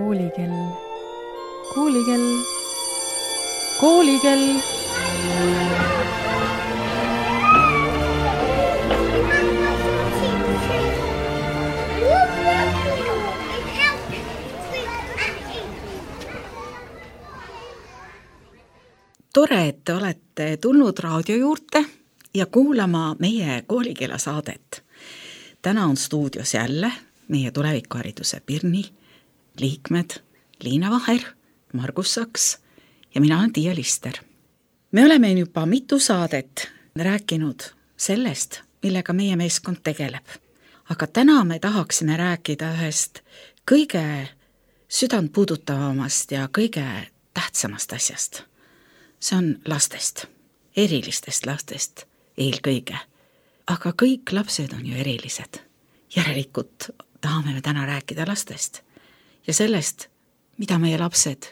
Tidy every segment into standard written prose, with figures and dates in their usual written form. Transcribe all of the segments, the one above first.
Koolikell, koolikell, koolikell. Tore, et te olete tulnud raadio juurde ja kuulama meie koolikella saadet. Täna on stuudios jälle meie tulevikuhariduse Pirni liikmed Liina Vaher, Margus Saks ja mina olen Tiia Lister. Me oleme juba mitu saadet rääkinud sellest, millega meie meeskond tegeleb. Aga täna me tahaksime rääkida ühest kõige südant puudutavamast ja kõige tähtsamast asjast. See on lastest, erilistest lastest eelkõige. Aga kõik lapsed on ju erilised. Järelikult tahame me täna rääkida lastest ja sellest, mida meie lapsed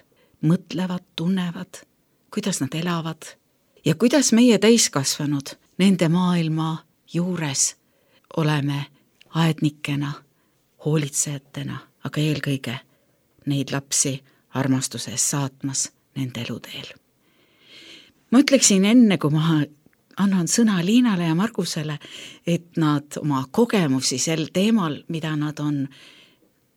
mõtlevad, tunnevad, kuidas nad elavad ja kuidas meie täiskasvanud nende maailma juures oleme aednikena, hoolitsejatena, aga eelkõige neid lapsi armastuses saatmas nende eluteel. Ma ütleksin enne, kui ma annan sõna Liinale ja Margusele, et nad oma kogemusi sel teemal, mida nad on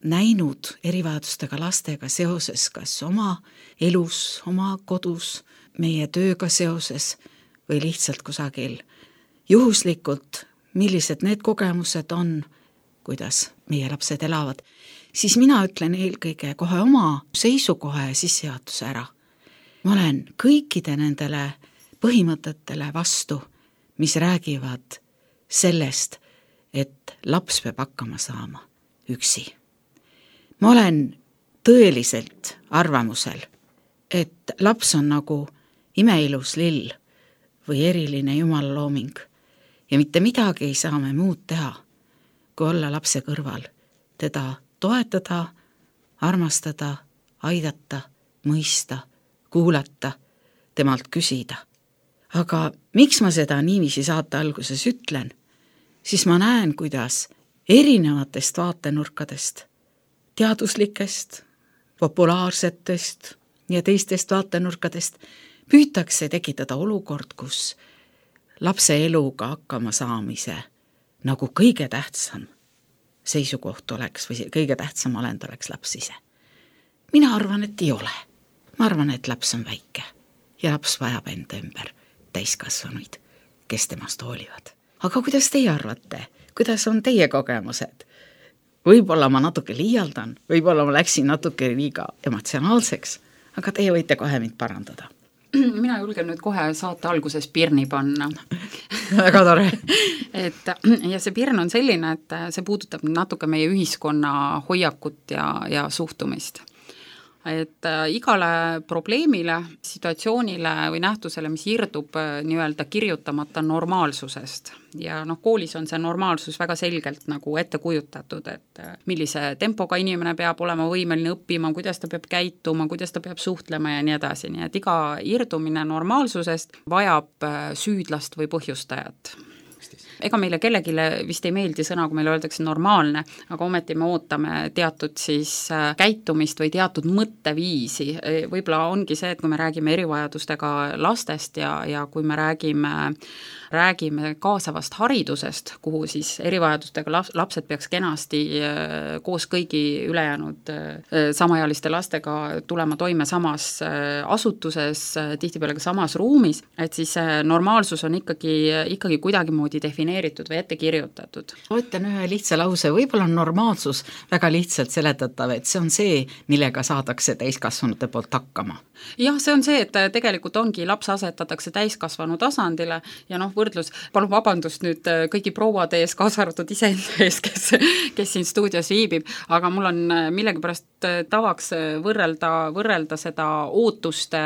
näinud erivajadustega lastega seoses, kas oma elus, oma kodus, meie tööga seoses või lihtsalt kusagil juhuslikult, millised need kogemused on, kuidas meie lapsed elavad, siis mina ütlen eelkõige kohe oma seisukoha ja sissejuhatuse ära. Ma olen kõikide nendele põhimõtetele vastu, mis räägivad sellest, et laps peab hakkama saama üksi. Ma olen tõeliselt arvamusel, et laps on nagu imeilus lill või eriline jumala looming ja mitte midagi ei saa me muud teha, kui olla lapse kõrval, teda toetada, armastada, aidata, mõista, kuulata, temalt küsida. Aga miks ma seda niiviisi saate alguses ütlen, siis ma näen, kuidas erinevatest vaatenurkadest, teaduslikest, populaarsetest ja teistest vaatenurkadest püütakse tekitada olukord, kus lapse eluga hakkama saamise nagu kõige tähtsam seisukoht oleks või kõige tähtsam olend oleks laps ise. Mina arvan, et ei ole. Ma arvan, et laps on väike ja laps vajab enda ümber täiskasvanuid, kes temast hoolivad. Aga kuidas teie arvate? Kuidas on teie kogemused? Võib-olla ma natuke liialdan, võib-olla ma läksin natuke liiga emotsionaalseks, aga teie võite kohe mind parandada. Mina julgen nüüd kohe saate alguses pirni panna. Väga tore. Ja see pirn on selline, et see puudutab natuke meie ühiskonna hoiakut ja suhtumist. Et igale probleemile, situatsioonile või nähtusele, mis irdub nii-öelda kirjutamata normaalsusest. Ja koolis on see normaalsus väga selgelt nagu ette kujutatud, et millise tempoga inimene peab olema võimeline õppima, kuidas ta peab käituma, kuidas ta peab suhtlema ja nii edasi. Nii et iga irdumine normaalsusest vajab süüdlast või põhjustajat. Ega meile kellegile vist ei meeldi sõna, kui meile öeldakse normaalne, aga ometi me ootame teatud siis käitumist või teatud mõtteviisi. Võib-olla ongi see, et kui me räägime erivajadustega lastest ja kui me räägime kaasavast haridusest, kuhu siis erivajadustega lapsed peaks kenasti koos kõigi ülejäänud samaealiste lastega tulema toime samas asutuses, tihtipeale ka samas ruumis, et siis normaalsus on ikkagi kuidagimoodi defineeritud või ette kirjutatud. Ma ütlen ühe lihtsa lause, võib-olla on normaalsus väga lihtsalt seletatav, et see on see, millega saadakse täiskasvanute poolt hakkama. Jah, see on see, et tegelikult ongi laps asetatakse täiskasvanu tasandile ja võrdlus, palun vabandust nüüd kõigi prouade ees, kaasa arvatud iseenda ees, kes siin stuudios viibib, aga mul on millegipärast tavaks võrrelda seda ootuste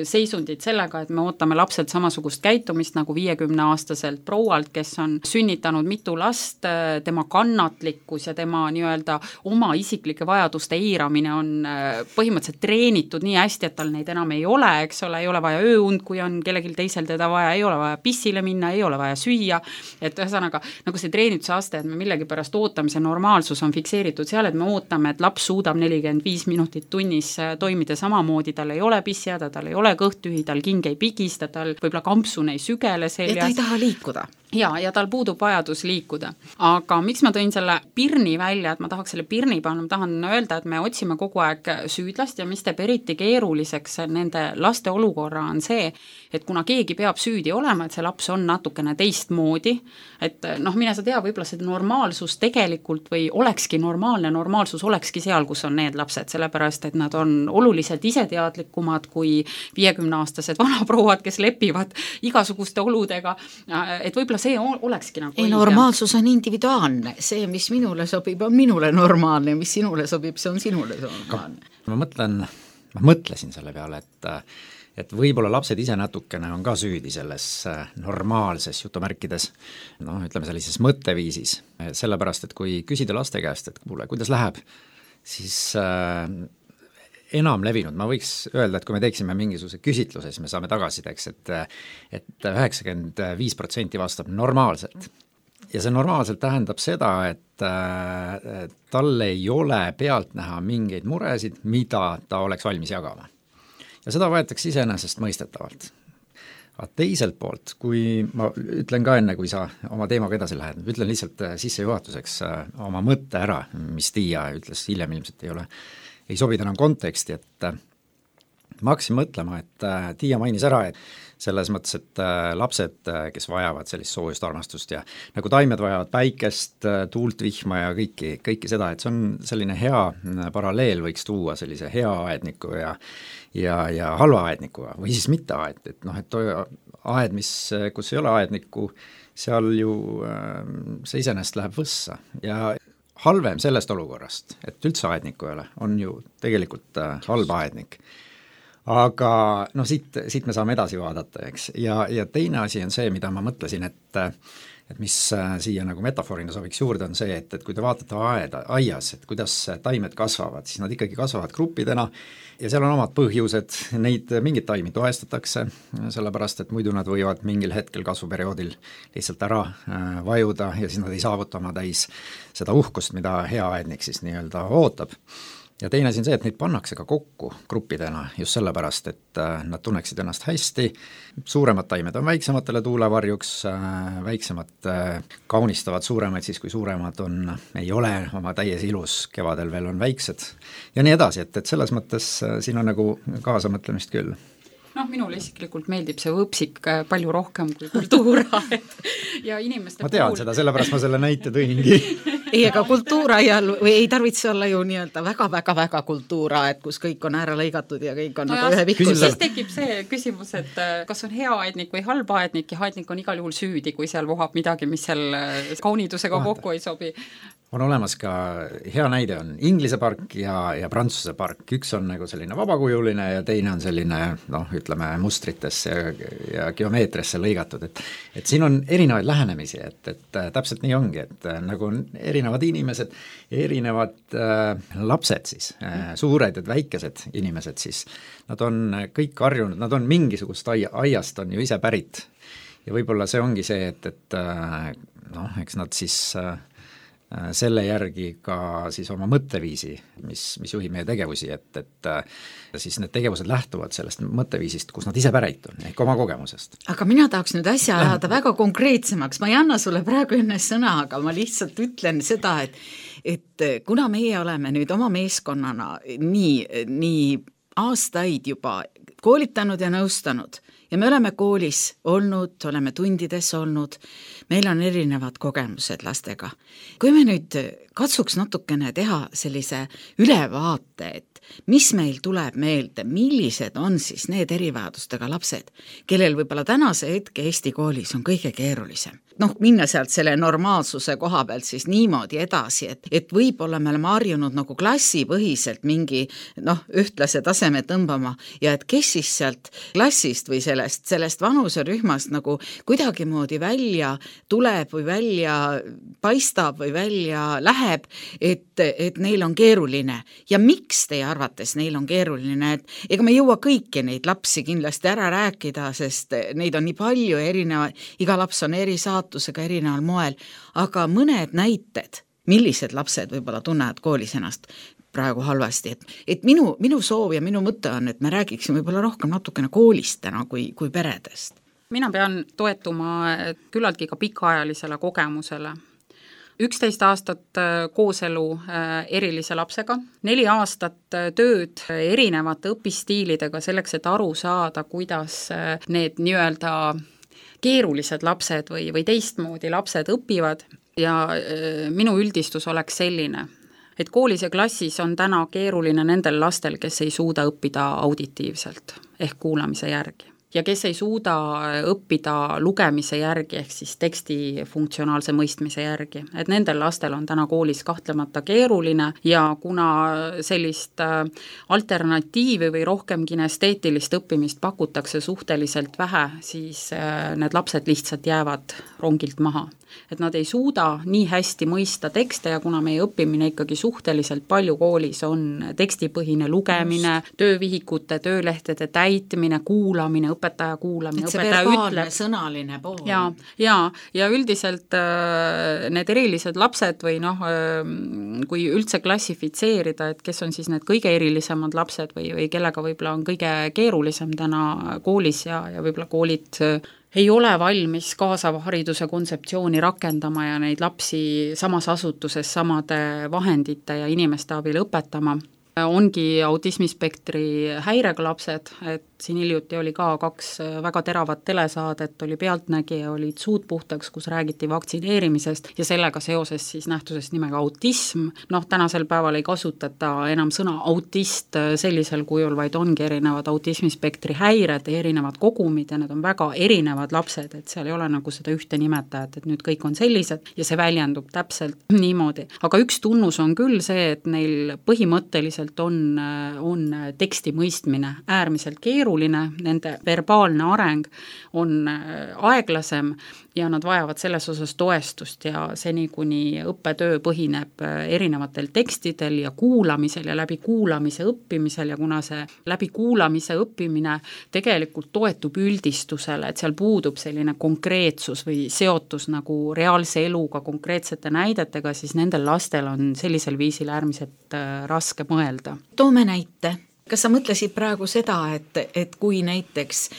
seisundit sellega, et me ootame lapselt samasugust käitumist nagu 50-aastaselt proualt, kes on sünnitanud mitu last, tema kannatlikkus ja tema nii-öelda oma isiklike vajaduste eiramine on põhimõtteliselt treenitud nii hästi, et tal neid enam ei ole, eks ole, ei ole vaja ööund, kui on kellelgi teisel teda vaja, ei ole vaja pissile minna, ei ole vaja süüa, et ühesõnaga nagu see treenituse aste, et me millegipärast ootame, see normaalsus on fikseeritud seal, et me ootame, et laps suudab 40 45 minutit tunnis toimida samamoodi, tal ei ole pissjääda, tal ei ole kõht-tühi, tal king ei pigista, tal võib-olla kampsun ei sügele seljas. Ja ta ei taha liikuda. Ja tal puudub vajadus liikuda. Aga miks ma tõin selle pirni välja, et ma tahaks selle pirni panna, ma tahan öelda, et me otsime kogu aeg süüdlast ja mis teeb eriti keeruliseks nende laste olukorra on see, et kuna keegi peab süüdi olema, et see laps on natukene teistmoodi, et mine sa tea, võib-olla see normaalsus tegelikult või olekski normaalsus olekski seal, kus on need lapsed, sellepärast, et nad on oluliselt iseteadlikumad kui 50-aastased vanaprouad, kes lepivad igasuguste oludega, et võib-olla see olekski nagu ei, normaalsus on individuaalne, see, mis minule sobib, on minule normaalne, mis sinule sobib, see on sinule normaalne. Ma mõtlesin selle peale, et võib-olla lapsed ise natukene on ka süüdi selles normaalses jutumärkides, ütleme sellises mõtteviisis, sellepärast, et kui küsida laste käest, et kuule, kuidas läheb, siis enam levinud, ma võiks öelda, et kui me teeksime mingisuguse küsitluse, siis me saame tagasideks, et 95% vastab normaalselt. Ja see normaalselt tähendab seda, et tal ei ole pealt näha mingeid muresid, mida ta oleks valmis jagama. Ja seda võetakse iseenesest mõistetavalt. Aga teiselt poolt, kui ma ütlen ka enne, kui sa oma teemaga edasi lähed, ütlen lihtsalt sissejuhatuseks oma mõtte ära, mis Tiia ütles hiljem ilmselt ei sobida enam konteksti, et ma hakkasin mõtlema, et Tiia mainis ära, et selles mõttes, et lapsed, kes vajavad sellist soojust armastust ja nagu taimed vajavad päikest, tuult, vihma ja kõiki seda, et see on selline hea paralleel võiks tuua sellise hea aedniku ja halva aednikuga või siis mitte aed, et aed, kus ei ole aednikku, seal ju see iseenesest läheb võssa ja halvem sellest olukorrast, et üldse aednikku ei ole, on ju tegelikult halb aednik. Aga siit me saame edasi vaadata, eks. Ja teine asi on see, mida ma mõtlesin, et mis siia nagu metafoorina sobiks juurde, on see, et kui te vaatate aias, et kuidas taimed kasvavad, siis nad ikkagi kasvavad gruppidena ja seal on omad põhjused, neid mingid taimi toestatakse, sellepärast, et muidu nad võivad mingil hetkel kasvuperioodil lihtsalt ära vajuda ja siis nad ei saavuta oma täis seda uhkust, mida hea aednik siis nii-öelda ootab. Ja teine asi on see, et neid pannakse ka kokku gruppidena just sellepärast, et nad tunneksid ennast hästi, suuremad taimed on väiksematele tuulevarjuks, väiksemad kaunistavad suuremaid siis, kui suuremad ei ole oma täies ilus, kevadel veel on väiksed ja nii edasi, et selles mõttes siin on nagu kaasamõtlemist küll. Minule isiklikult meeldib see võpsik palju rohkem kui kultuura ja inimeste ma tean seda, sellepärast ma selle näite tõingi. Ei, aga kultuuraial või ei tarvitse olla ju nii-öelda väga kultuura, et kus kõik on ära lõigatud ja kõik on nagu ühe pikkus. Siis tekib see küsimus, et kas on hea aednik või halb aednik ja aednik on igal juhul süüdi, kui seal vohab midagi, mis seal kaunidusega kokku ei sobi. On olemas ka, hea näide on Inglise park ja Prantsuse park, üks on nagu selline vabakujuline ja teine on selline, ütleme mustritesse ja geomeetriasse lõigatud, et siin on erinevaid lähenemisi, et täpselt nii ongi, et nagu on erinevad inimesed, erinevad lapsed siis, suured ja väikesed inimesed siis, nad on kõik harjunud, nad on mingisugust aiast on ju ise pärit ja võib-olla see ongi see, et eks nad siis selle järgi ka siis oma mõtteviisi, mis juhib meie tegevusi, et siis need tegevused lähtuvad sellest mõtteviisist, kus nad ise pärit on, ehk oma kogemusest. Aga mina tahaks nüüd asja ajada väga konkreetsemaks, ma ei anna sulle praegu enne sõna, aga ma lihtsalt ütlen seda, et kuna meie oleme nüüd oma meeskonnana nii aastaid juba koolitanud ja nõustanud ja me oleme koolis olnud, oleme tundides olnud, meil on erinevad kogemused lastega. Kui me nüüd katsuks natukene teha sellise ülevaate, et mis meil tuleb meelde, millised on siis need erivajadustega lapsed, kellel võib-olla tänase hetke Eesti koolis on kõige keerulisem. Minna sealt selle normaalsuse koha pealt siis niimoodi edasi, et võib-olla me oleme harjunud nagu klassipõhiselt mingi ühtlase taseme tõmbama ja et kes siis sealt klassist või sellest vanuserühmast nagu kuidagimoodi välja tuleb või välja paistab või välja läheb, et neil on keeruline. Ja miks teie arvates neil on keeruline? Et ega me ei jõua kõiki neid lapsi kindlasti ära rääkida, sest neid on nii palju erinevaid, iga laps on eri saatusega erineval moel, aga mõned näited, millised lapsed võib-olla tunnevad koolis ennast praegu halvasti, et minu soov ja minu mõte on, et me räägiksime võib-olla rohkem natukene koolist täna kui peredest. Mina pean toetuma küllaltki ka pikaajalisele kogemusele. 11 aastat kooselu erilise lapsega, 4 aastat tööd erinevate õpistiilidega selleks, et aru saada, kuidas need nii-öelda keerulised lapsed või teistmoodi lapsed õpivad ja minu üldistus oleks selline, et koolis ja klassis on täna keeruline nendel lastel, kes ei suuda õppida auditiivselt ehk kuulamise järgi. Ja kes ei suuda õppida lugemise järgi ehk siis teksti funktsionaalse mõistmise järgi. Et nendel lastel on täna koolis kahtlemata keeruline ja kuna sellist alternatiivi või rohkem kinesteetilist õppimist pakutakse suhteliselt vähe, siis need lapsed lihtsalt jäävad rongilt maha. Et nad ei suuda nii hästi mõista tekste ja kuna meie õppimine ikkagi suhteliselt palju koolis on tekstipõhine lugemine, töövihikute, töölehtede täitmine, kuulamine, õpetaja kuulamine, õpetaja ütleb. Sõnaline pool. Ja üldiselt need erilised lapsed või kui üldse klassifitseerida, et kes on siis need kõige erilisemad lapsed või kellega võib-olla on kõige keerulisem täna koolis ja võib-olla koolid ei ole valmis kaasava hariduse kontseptsiooni rakendama ja neid lapsi samas asutuses samade vahendite ja inimeste abil õpetama. Ongi autismispektri häirega lapsed, et siin hiljuti oli ka 2 väga teravat telesaadet, oli Pealtnägija, olid Suud puhtaks, kus räägiti vaktsineerimisest ja sellega seoses siis nähtusest nimega autism. Tänasel päeval ei kasutata enam sõna autist sellisel kujul, vaid ongi erinevad autismispektri häired ja erinevad kogumid ja need on väga erinevad lapsed, et seal ei ole nagu seda ühte nimetajat, et nüüd kõik on sellised ja see väljendub täpselt niimoodi. Aga üks tunnus on küll see, et neil põhimõtteliselt on teksti mõistmine äärmiselt keeruline, nende verbaalne areng on aeglasem ja nad vajavad selles osas toestust ja seni, kuni õppetöö põhineb erinevatel tekstidel ja kuulamisel ja läbi kuulamise õppimisel ja kuna see läbi kuulamise õppimine tegelikult toetub üldistusele, et seal puudub selline konkreetsus või seotus nagu reaalse eluga, konkreetsete näidetega, siis nendel lastel on sellisel viisil äärmiselt raske mõelda. Toome näite. Kas sa mõtlesid praegu seda, et kui näiteks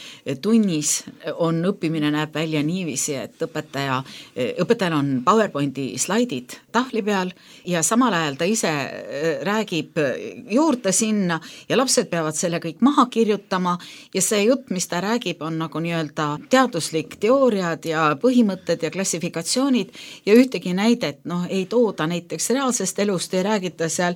tunnis on õppimine näeb välja niiviisi, et õpetajal on PowerPointi slaidid tahvli peal ja samal ajal ta ise räägib juurde sinna ja lapsed peavad selle kõik maha kirjutama ja see jutt, mis ta räägib, on nagu nii-öelda teaduslik teooriad ja põhimõtted ja klassifikatsioonid ja ühtegi näidet ei tooda näiteks reaalsest elust, ei räägita seal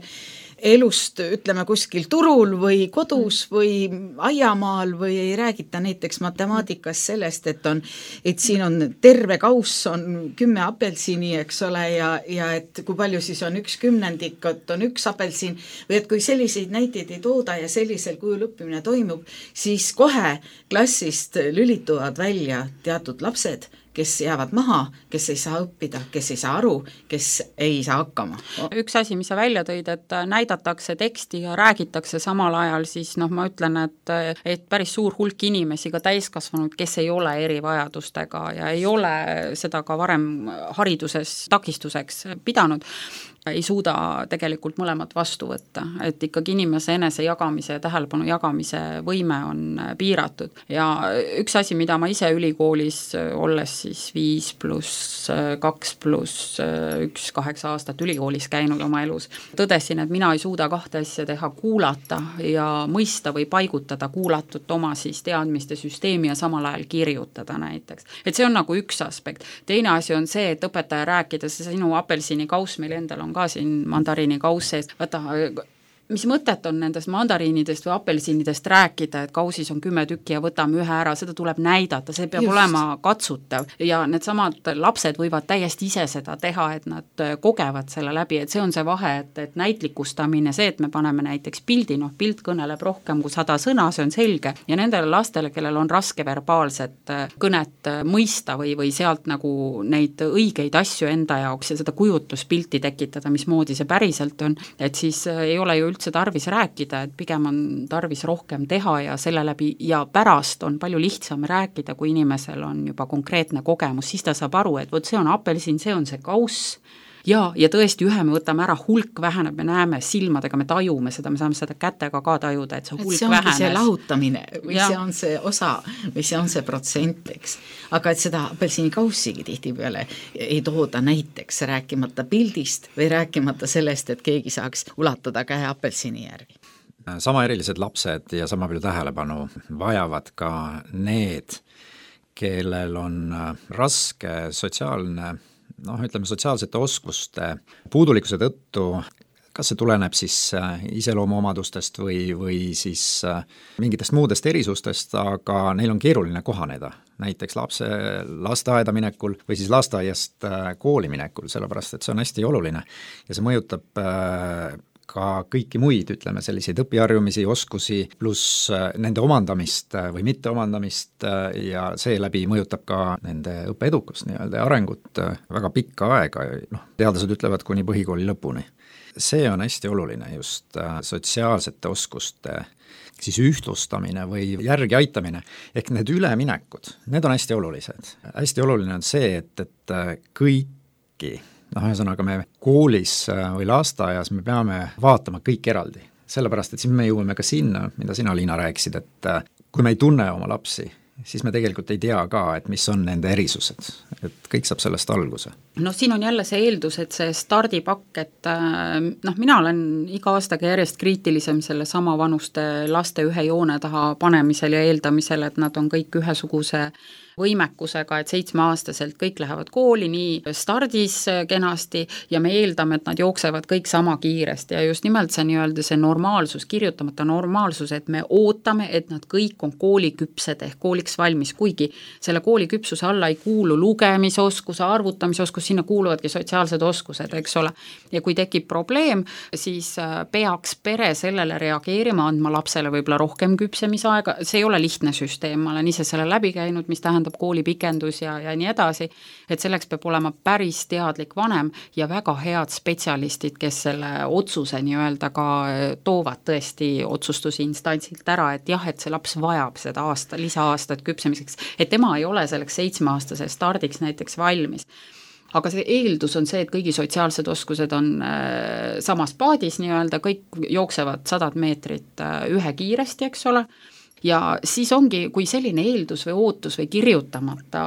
elust, ütleme kuskil turul või kodus või aiamaal või ei räägita näiteks matemaatikas sellest, et siin on terve kauss, on 10 apelsini, eks ole, ja et kui palju siis on 1/10, et on 1 apelsin või et kui selliseid näiteid ei tooda ja sellisel kujul õppimine toimub, siis kohe klassist lülituvad välja teatud lapsed, kes jäävad maha, kes ei saa õppida, kes ei saa aru, kes ei saa hakkama. Üks asi, mis sa välja tõid, et näidatakse teksti ja räägitakse samal ajal, siis ma ütlen, et päris suur hulk inimesi, ka täiskasvanud, kes ei ole erivajadustega ja ei ole seda ka varem hariduses takistuseks pidanud, ei suuda tegelikult mõlemat vastu võtta, et ikkagi inimese enese jagamise ja tähelepanu jagamise võime on piiratud. Ja üks asi, mida ma ise ülikoolis olles siis 5+2+1 8 aastat ülikoolis käinud oma elus, tõdesin, et mina ei suuda 2 asja teha, kuulata ja mõista või paigutada kuulatut oma siis teadmiste süsteemi ja samal ajal kirjutada näiteks. Et see on nagu üks aspekt. Teine asi on see, et õpetaja rääkides, sinu apelsini kauss meil endal on ka siin mandariini kauss sees, vaata, mis mõtet on nendest mandariinidest või apelsinidest rääkida, et kausis on 10 tükki ja võtame ühe ära, seda tuleb näidata, see peab olema katsutav ja need samad lapsed võivad täiesti ise seda teha, et nad kogevad selle läbi, et see on see vahe, et näitlikustamine, see, et me paneme näiteks pildi, pilt kõneleb rohkem kui 100 sõna, see on selge ja nendele lastele, kellel on raske verbaalset kõnet mõista või sealt nagu neid õigeid asju enda jaoks ja seda kujutluspilti tekitada, mismoodi see päriselt on, et siis ei ole ju üldse tarvis rääkida, et pigem on tarvis rohkem teha ja selle läbi ja pärast on palju lihtsam rääkida, kui inimesel on juba konkreetne kogemus, siis ta saab aru, et vot see on apelsin, see on see kauss ja tõesti ühe me võtame ära, hulk väheneb, me näeme silmadega, me tajume seda, me saame seda kätega ka tajuda, et see hulk see vähenes. See lahutamine või see on see osa või see on see protsent, eks. Aga et seda apelsinikaussigi tihtipeale ei tooda näiteks, rääkimata pildist või rääkimata sellest, et keegi saaks ulatada käe apelsini järgi. Sama erilised lapsed ja sama palju tähelepanu vajavad ka need, kellel on raske sotsiaalne, ütleme sotsiaalsete oskuste puudulikkuse tõttu, kas see tuleneb siis iseloomuomadustest või siis mingitest muudest erisustest, aga neil on keeruline kohaneda, näiteks lapse lasteaeda minekul või siis lasteaiast kooli minekul, sellepärast et see on hästi oluline ja see mõjutab ka kõiki muid, ütleme, selliseid õpiharjumisi, oskusi, pluss nende omandamist või mitte omandamist ja seeläbi mõjutab ka nende õppeedukust nii-öelda ja arengut väga pikka aega, teadlased ütlevad kuni põhikooli lõpuni. See on hästi oluline just sotsiaalsete oskuste siis ühtlustamine või järgi aitamine, ehk need üleminekud, need on hästi olulised. Hästi oluline on see, et kõiki ühesõnaga me koolis või lasteaias me peame vaatama kõik eraldi, sellepärast et siis me jõuame ka sinna, mida sina, Liina, rääkisid, et kui me ei tunne oma lapsi, siis me tegelikult ei tea ka, et mis on nende erisused, et kõik saab sellest alguse. Siin on jälle see eeldus, et see stardipakk, et mina olen iga aastaga järjest kriitilisem selle sama vanuste laste ühe joone taha panemisel ja eeldamisel, et nad on kõik ühesuguse võimekusega, et 7-aastaselt kõik lähevad kooli nii stardis kenasti ja me eeldame, et nad jooksevad kõik sama kiiresti ja just nimelt see nii-öelda see normaalsus, kirjutamata normaalsus, et me ootame, et nad kõik on kooliküpsed ehk kooliks valmis, kuigi selle kooliküpsuse alla ei kuulu lugemisoskus, arvutamisoskus, sinna kuuluvadki sotsiaalsed oskused, eks ole. Ja kui tekib probleem, siis peaks pere sellele reageerima, andma lapsele võib-olla rohkem küpsemisaega, see ei ole lihtne süsteem, ma olen ise selle läbi käinud, mis tähendab koolipikendus ja nii edasi, et selleks peab olema päris teadlik vanem ja väga head spetsialistid, kes selle otsuse nii-öelda ka toovad tõesti otsustusinstantsilt ära, et jah, et see laps vajab seda lisaaastat küpsemiseks, et tema ei ole selleks 7-aastase stardiks näiteks valmis. Aga see eeldus on see, et kõigi sotsiaalsed oskused on samas paadis nii-öelda, kõik jooksevad 100 meetrit ühe kiiresti, eks ole, ja siis ongi, kui selline eeldus või ootus või kirjutamata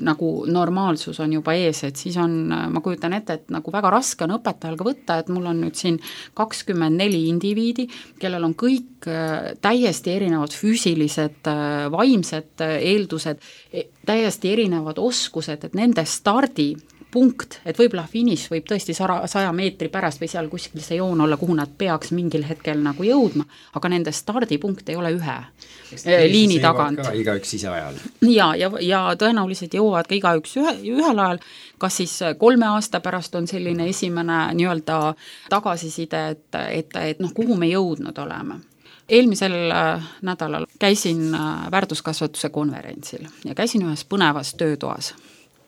nagu normaalsus on juba ees, et siis on, ma kujutan ette, et nagu väga raske on õpetajal ka võtta, et mul on nüüd siin 24 indiviidi, kellel on kõik täiesti erinevad füüsilised, vaimsed eeldused, täiesti erinevad oskused, et nende stardi punkt, et võib-olla finiš võib tõesti 100 meetri pärast või seal kuskil see joon olla, kuhu nad peaks mingil hetkel nagu jõudma, aga nende stardipunkt ei ole ühe liini tagant. Igaüks ise ajal. Ja tõenäoliselt jõuavad ka igaüks ühel ajal, kas siis 3 aasta pärast on selline esimene nii-öelda tagasiside, et kuhu me jõudnud oleme. Eelmisel nädalal käisin väärtuskasvatuse konverentsil ja käisin ühes põnevas töötoas.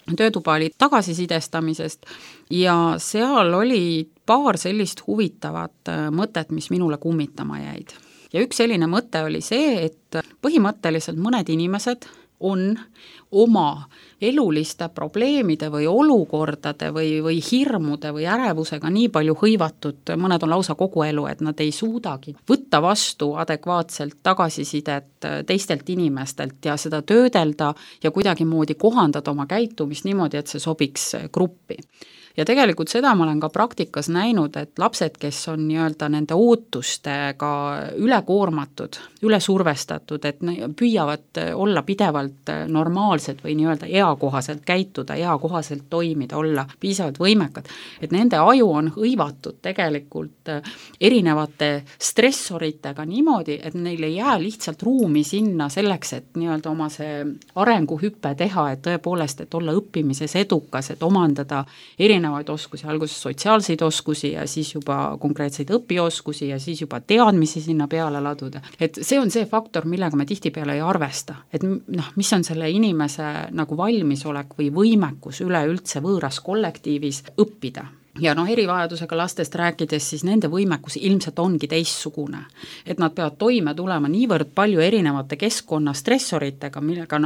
Töötuba oli tagasisidestamisest ja seal oli paar sellist huvitavat mõtet, mis minule kummitama jäid. Ja üks selline mõte oli see, et põhimõtteliselt mõned inimesed on oma eluliste probleemide või olukordade või hirmude või ärevusega nii palju hõivatud, mõned on lausa kogu elu, et nad ei suudagi võtta vastu adekvaatselt tagasisidet teistelt inimestelt ja seda töödelda ja kuidagimoodi kohandada oma käitumist niimoodi, et see sobiks gruppi. Ja tegelikult seda ma olen ka praktikas näinud, et lapsed, kes on nii-öelda nende ootustega ülekoormatud, ülesurvestatud, et püüavad olla pidevalt normaalsed või nii-öelda eakohaselt käituda, eakohaselt toimida, olla piisavalt võimekad, et nende aju on hõivatud tegelikult erinevate stressoritega niimoodi, et neil ei jää lihtsalt ruumi sinna selleks, et nii-öelda oma see arenguhüppe teha, et tõepoolest, et olla õppimises edukas, et omandada erinevaid oskusi, alguses sotsiaalseid oskusi ja siis juba konkreetseid õpioskusi ja siis juba teadmisi sinna peale laduda. Et see on see faktor, millega me tihtipeale ei arvesta, et mis on selle inimese nagu valmisolek või võimekus üleüldse võõras kollektiivis õppida. ja erivajadusega lastest rääkides, siis nende võimekus ilmselt ongi teistsugune. Et nad peavad toime tulema niivõrd palju erinevate keskkonna stressoritega, millega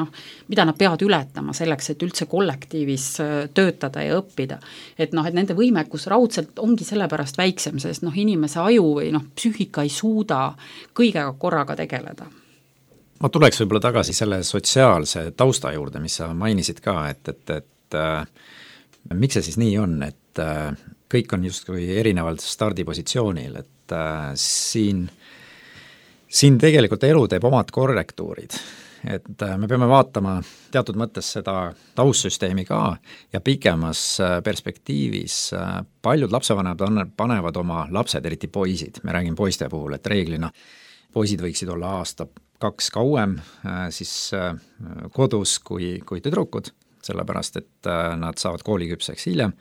mida nad peavad ületama selleks, et üldse kollektiivis töötada ja õppida. Et nende võimekus raudselt ongi sellepärast väiksem, sest inimese aju või psüühika ei suuda kõigega korraga tegeleda. Ma tuleks võib-olla tagasi selle sotsiaalse tausta juurde, mis sa mainisid ka, et miks see siis nii on, et kõik on justkui erinevalt stardipositsioonil, et siin tegelikult elu teeb omad korrektuurid, et me peame vaatama teatud mõttes seda taustsüsteemi ka ja pikemas perspektiivis paljud lapsevanemad panevad oma lapsed, eriti poisid, me räägime poiste puhul, et reeglina poisid võiksid olla aasta-2 kauem siis kodus kui tüdrukud, sellepärast et nad saavad kooliküpseks hiljem.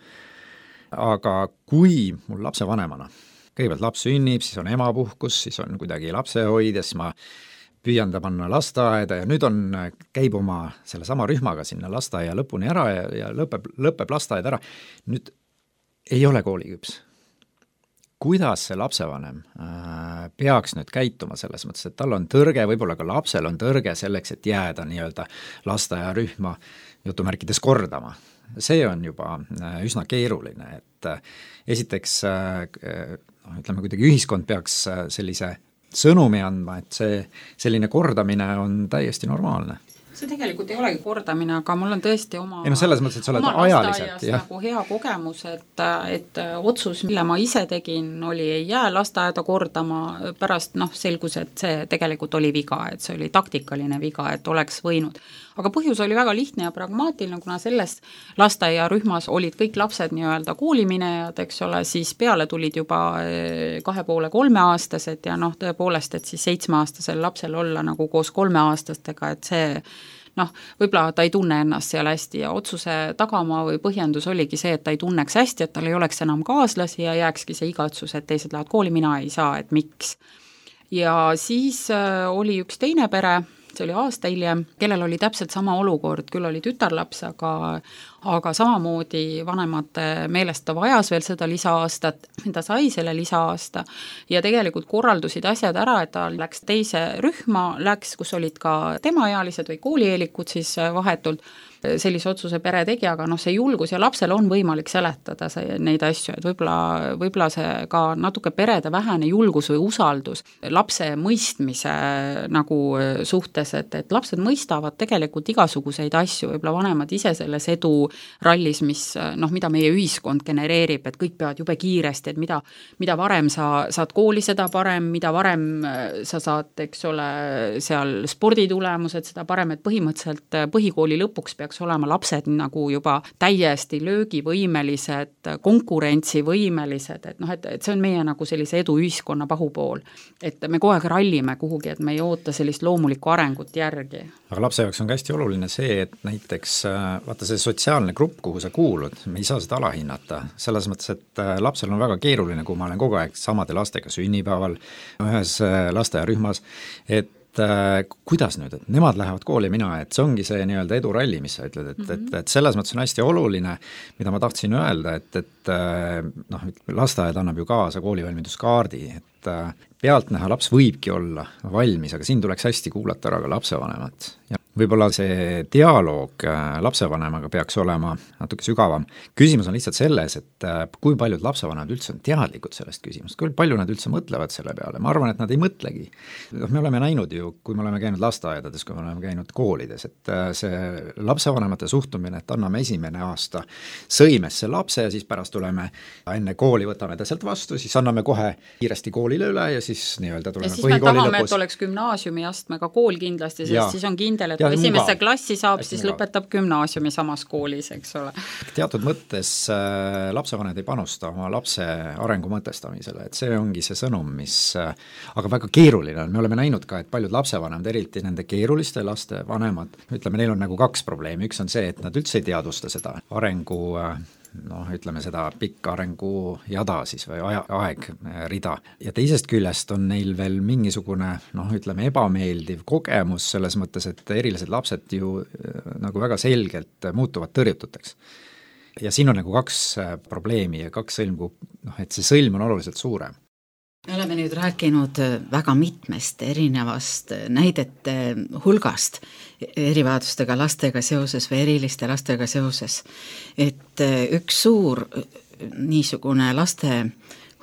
Aga kui mul lapsevanemana, kõigepealt laps sünnib, siis on emapuhkus, siis on kuidagi lapsehoid ja siis ma püüan ta panna lasteaeda ja nüüd käib oma selle sama rühmaga sinna lasteaia lõpuni ära ja lõpeb lasteaed ära. Nüüd ei ole kooliküps. Kuidas see lapsevanem peaks nüüd käituma selles mõttes, et tal on tõrge, võib-olla ka lapsel on tõrge selleks, et jääda nii-öelda lasteaia rühma jutumärkides kordama. See on juba üsna keeruline, et esiteks ütleme kuidagi ühiskond peaks sellise sõnumi andma, et selline kordamine on täiesti normaalne. See tegelikult ei olegi kordamine, aga mul on tõesti oma selles mõttes, et sa oled ajaliselt nagu hea kogemus, et otsus, mille ma ise tegin, ei jää lasteaeda kordama, pärast selgus, et see tegelikult oli viga, et see oli taktikaline viga, et oleks võinud. Aga põhjus oli väga lihtne ja pragmaatiline, kuna selles lasteaiarühmas olid kõik lapsed nii-öelda kooliminejad, eks ole, siis peale tulid juba 2,5-3 aastased ja tõepoolest, et siis 7-aastasel lapsel olla nagu koos 3-aastastega, et see võib-olla ta ei tunne ennast seal hästi ja otsuse tagamaa või põhjendus oligi see, et ta ei tunneks hästi, et tal ei oleks enam kaaslasi ja jääkski see igatsus, et teised lähevad kooli, mina ei saa, et miks. Ja siis oli üks teine pere, see oli aasta hiljem, kellel oli täpselt sama olukord, küll oli tütarlaps, aga samamoodi vanemate meelest ta vajas veel seda lisaaastat, ta sai selle lisaaasta ja tegelikult korraldusid asjad ära, et ta läks teise rühma, kus olid ka temaealised või koolieelikud siis vahetult, sellise otsuse pere tegi, aga see julgus ja lapsel on võimalik seletada neid asju, et võib-olla see ka natuke perede vähene julgus või usaldus lapse mõistmise nagu suhtes, et lapsed mõistavad tegelikult igasuguseid asju, võib-olla vanemad ise selles edu rallis, mida meie ühiskond genereerib, et kõik peavad jube kiiresti, et mida varem sa saad kooli, seda parem, mida varem sa saad, eks ole, seal sporditulemused, seda parem, et põhimõtteliselt põhikooli lõpuks peaks olema lapsed nagu juba täiesti löögivõimelised, konkurentsivõimelised, et see on meie nagu sellise edu ühiskonna pahupool. Et me kogu aeg rallime kuhugi, et me ei oota sellist loomulikku arengut järgi. Aga lapse jaoks on hästi oluline see, et näiteks vaata see sotsiaalne grupp, kuhu sa kuulud, me ei saa seda alahinnata, selles mõttes, et lapsel on väga keeruline, kui ma olen kogu aeg samade lastega sünnipäeval ühes lasteaiarühmas, et kuidas nüüd, et nemad lähevad kooli, mina, et see ongi see nii-öelda eduralli, mis sa ütled, et selles mõttes on hästi oluline, mida ma tahtsin öelda, et lasteaed annab ju kaasa koolivalmiduskaardi, et pealtnäha laps võibki olla valmis, aga siin tuleks hästi kuulata ära ka lapsevanemat. Ja võib-olla see dialoog lapsevanemaga peaks olema natuke sügavam. Küsimus on lihtsalt selles, et kui paljud lapsevanemad üldse on teadlikud sellest küsimust, kui palju nad üldse mõtlevad selle peale. Ma arvan, et nad ei mõtlegi. Me oleme näinud ju, kui me oleme käinud lasteaedades, kui me oleme käinud koolides, et see lapsevanemate suhtumine, et anname esimene aasta sõimesse lapse ja siis pärast tuleme enne kooli, võtame ta sealt vastu, siis anname kohe kiiresti koolile üle ja siis nii-öelda tuleme põhikooli lõpus. Ja siis me tahame, et oleks gümnaasiumiastmega kool kindlasti, sest siis on kindel, et esimesse klassi saab, siis lõpetab gümnaasiumi samas koolis, eks ole. Teatud mõttes lapsevanemad ei panusta oma lapse arengu mõtestamisele, et see ongi see sõnum, mis aga väga keeruline on. Me oleme näinud ka, et paljud lapsevanemad, eriti nende keeruliste laste vanemad, ütleme, neil on nagu 2 probleemi. Üks on see, et nad üldse ei teadvusta seda arengu ütleme seda pikka arengu jada siis või aegrida. Ja teisest küljest on neil veel mingisugune, ütleme, ebameeldiv kogemus selles mõttes, et erilised lapsed ju nagu väga selgelt muutuvad tõrjututeks. ja siin on nagu kaks probleemi ja kaks sõlm, et see sõlm on oluliselt suurem. Me oleme nüüd rääkinud väga mitmest erinevast näidete hulgast erivajadustega lastega seoses või eriliste lastega seoses, et üks suur niisugune laste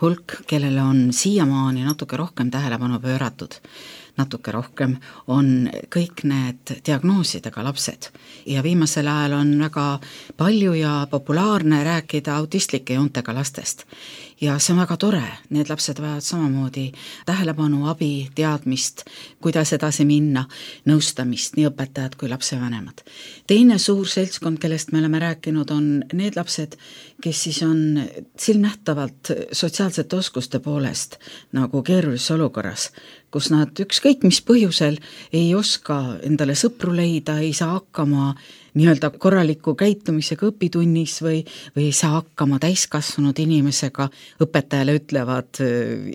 hulk, kellele on siiamaani natuke rohkem tähelepanu pööratud, natuke rohkem, on kõik need diagnoosidega lapsed. Ja viimasel ajal on väga palju ja populaarne rääkida autistlike joontega lastest. Ja see on väga tore, need lapsed vajavad samamoodi tähelepanu, abi, teadmist, kuidas edasi minna, nõustamist, nii õpetajad kui lapsevanemad. Teine suur seltskond, kellest me oleme rääkinud, on need lapsed, kes siis on silmnähtavalt sotsiaalsete oskuste poolest nagu keerulises olukorras, kus nad ükskõik mis põhjusel ei oska endale sõpru leida, ei saa hakkama nii-öelda korraliku käitumisega õpitunnis või ei saa hakkama täiskasvanud inimesega, õpetajale ütlevad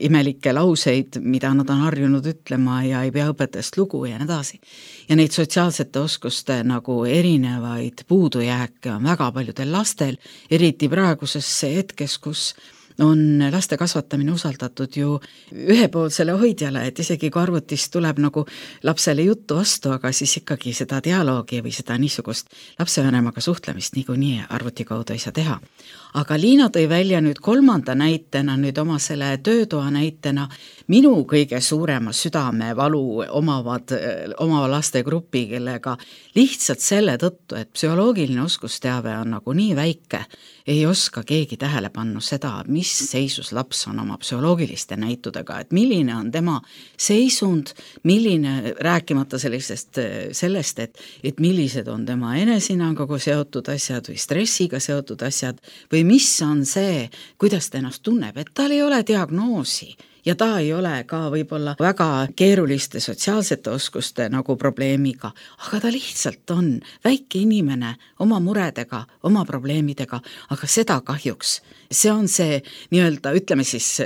imelikke lauseid, mida nad on harjunud ütlema ja ei pea õpetajast lugu ja nii edasi. Ja neid sotsiaalsete oskuste nagu erinevaid puudujääke on väga paljudel lastel, eriti praeguses hetkes, kus on laste kasvatamine usaldatud ju ühepoolsele hoidjale, et isegi kui arvutist tuleb nagu lapsele juttu vastu, aga siis ikkagi seda dialoogi või seda niisugust lapsevanemaga suhtlemist niikuinii arvuti kaudu ei saa teha. Aga Liina tõi välja nüüd kolmanda näitena, nüüd oma selle töötoa näitena, minu kõige suurema südamevalu omava laste grupi, kellega lihtsalt selle tõttu, et psühholoogiline oskusteave on nagu nii väike, ei oska keegi tähele panna seda, mis seisus laps on oma psühholoogiliste näitudega, et milline on tema seisund, milline, rääkimata sellest, et millised on tema enesinanguga seotud asjad või stressiga seotud asjad või mis on see, kuidas ta ennast tunneb, et tal ei ole diagnoosi ja ta ei ole ka võib-olla väga keeruliste sotsiaalsete oskuste nagu probleemiga, aga ta lihtsalt on väike inimene oma muredega, oma probleemidega, aga seda kahjuks. See on see nii-öelda, ütleme siis